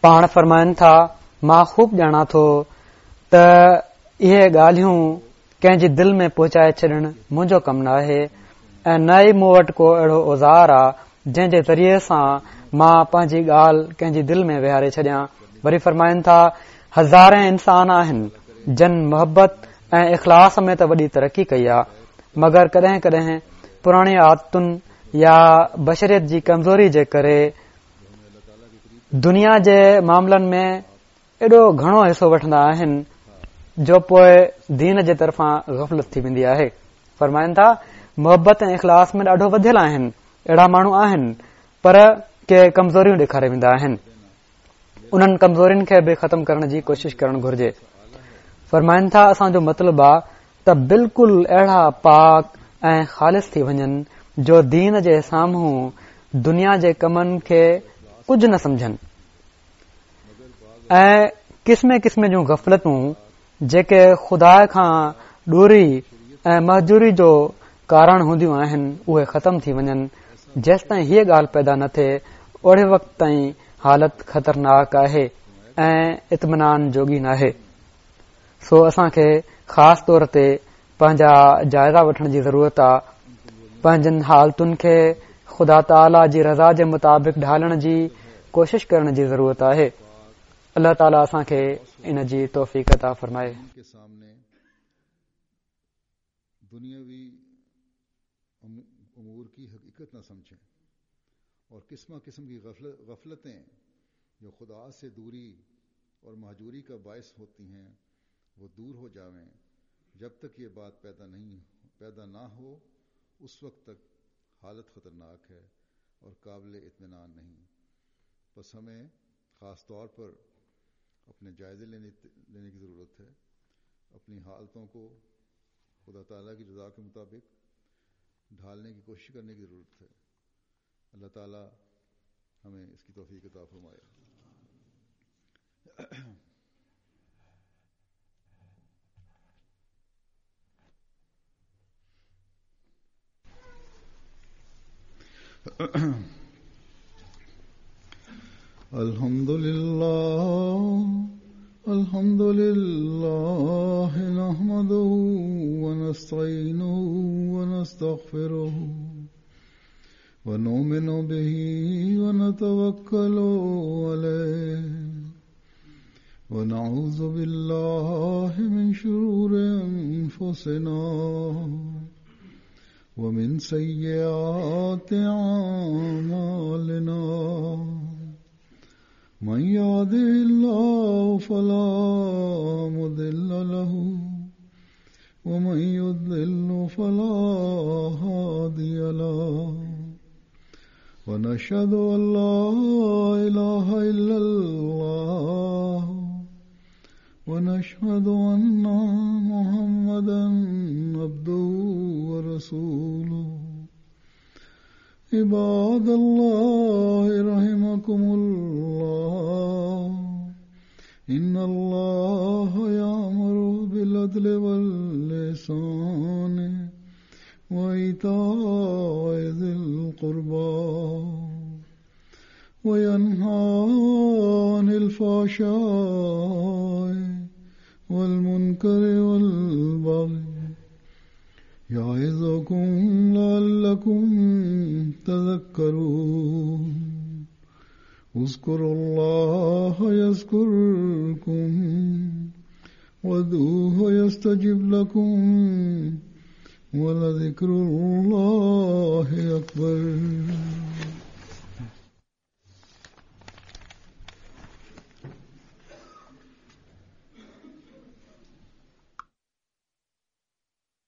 پاڻ فرمائن ٿا، مان خوب ڄاڻان ٿو ته اهي ڳالهيون ڪنهن جي دل ۾ پهچائي ڇڏڻ منهنجو ڪم ناهي ۽ نه ئي مون وٽ ڪو اهڙو اوزار آ جنهن جي ذريعي سان مان پنهنجي ڳالهه ڪنهن جي دل ۾ ويهاري ڇڏيان. وري فرمائن ٿا، هزارين انسان آهن جن محبت ۽ اخلاص ۾ ته وڏي ترقي ڪئي آ، مگر ڪڏهن ڪڏهن پراڻي عادتن يا بشريت جي ڪمزوري جي ڪري دنيا جي معاملن ۾ ايڏو گهڻو حصو وٺندا آهن جو پوء دين جي طرفان غفلت ٿي ويندي آهي. فرمائن ٿا، محبت ۽ اخلاص ۾ ڏاڍو وڌيل آهن، اهڙا ماڻهو آهن، پر ڪي ڪمزوريون ڏيکاري ويندا آهن. انهن ڪمزورين کي به ختم ڪرڻ جي ڪوشش ڪرڻ گهرجي. فرمائن ٿا اسان جو مطلب آ ته بلڪل اهڙا پاڪ ۽ خالص ٿي وڃن جو دين جي سامهون دنيا جي ڪمن کي ڪجهه نه سمجهن ۽ قسم قسم جون غفلتون جيڪي خدا کان دوري ۽ مهجوري جو ڪارڻ هونديون آهن اهي ختم ٿي وڃن. جيستائين هيء ڳالهه پيدا نه ٿئي اوڙي وقت تائين حالت خطرناڪ آهي ۽ اطمينان جوڳي ناهي. سو اسان کي خاص طور تي پنهنجا جائزا وٺڻ جي ضرورت آ، پنهنجن حالتن کي خدا تعاليٰ جي رضا جي مطابق ڍالڻ جي ڪوشش ڪرڻ جي ضرورت آهي. الله تعاليٰ اسان کي ان جي توفيق عطا فرمائي. دنياوي امور की हकीकत न समझें और किस्मा किस्म की गफलतें जो खुदा से दूरी और महजूरी का बायस होती हैं वो दूर हो जावें। जब तक ये बात पैदा नहीं पैदा ना हो उस वक्त तक हालत ख़तरनाक है और काबिल इत्मीनान नहीं। बस हमें ख़ास तौर पर अपने जायज़े लेने लेने की ज़रूरत है, अपनी हालतों को खुदा ताला की रज़ा के मुताबिक ढालने की कोशिश करने की ज़रूरत है। अल्लाह ताला हमें इसकी तौफीक अता फरमाए। अल्हम्दुलिल्लाह अल्हम्दुलिल्लाह नहमदुहु व नस्तईनुहु व नस्तगफिरुहु व नुमिनु बिही व नतवक्कलु अलैहि व नऊज़ु बिल्लाहि मिन शुरूरि अनफुसिना व मिन सय्यिआति अअमालिना। من يهده الله فلا مضل له ومن يضلل فلا هادي له ونشهد أن لا إله إلا الله ونشهد أن محمدا عبده ورسوله. عباد الله رحمكم الله، إن الله يأمر بالعدل والإحسان وإيتاء ذي القربى وينهى عن الفحشاء والمنكر والبغي يعظكم لعلكم تذكرون. اذكروا الله يذكركم وادعوه يستجب لكم ولذكر الله أكبر.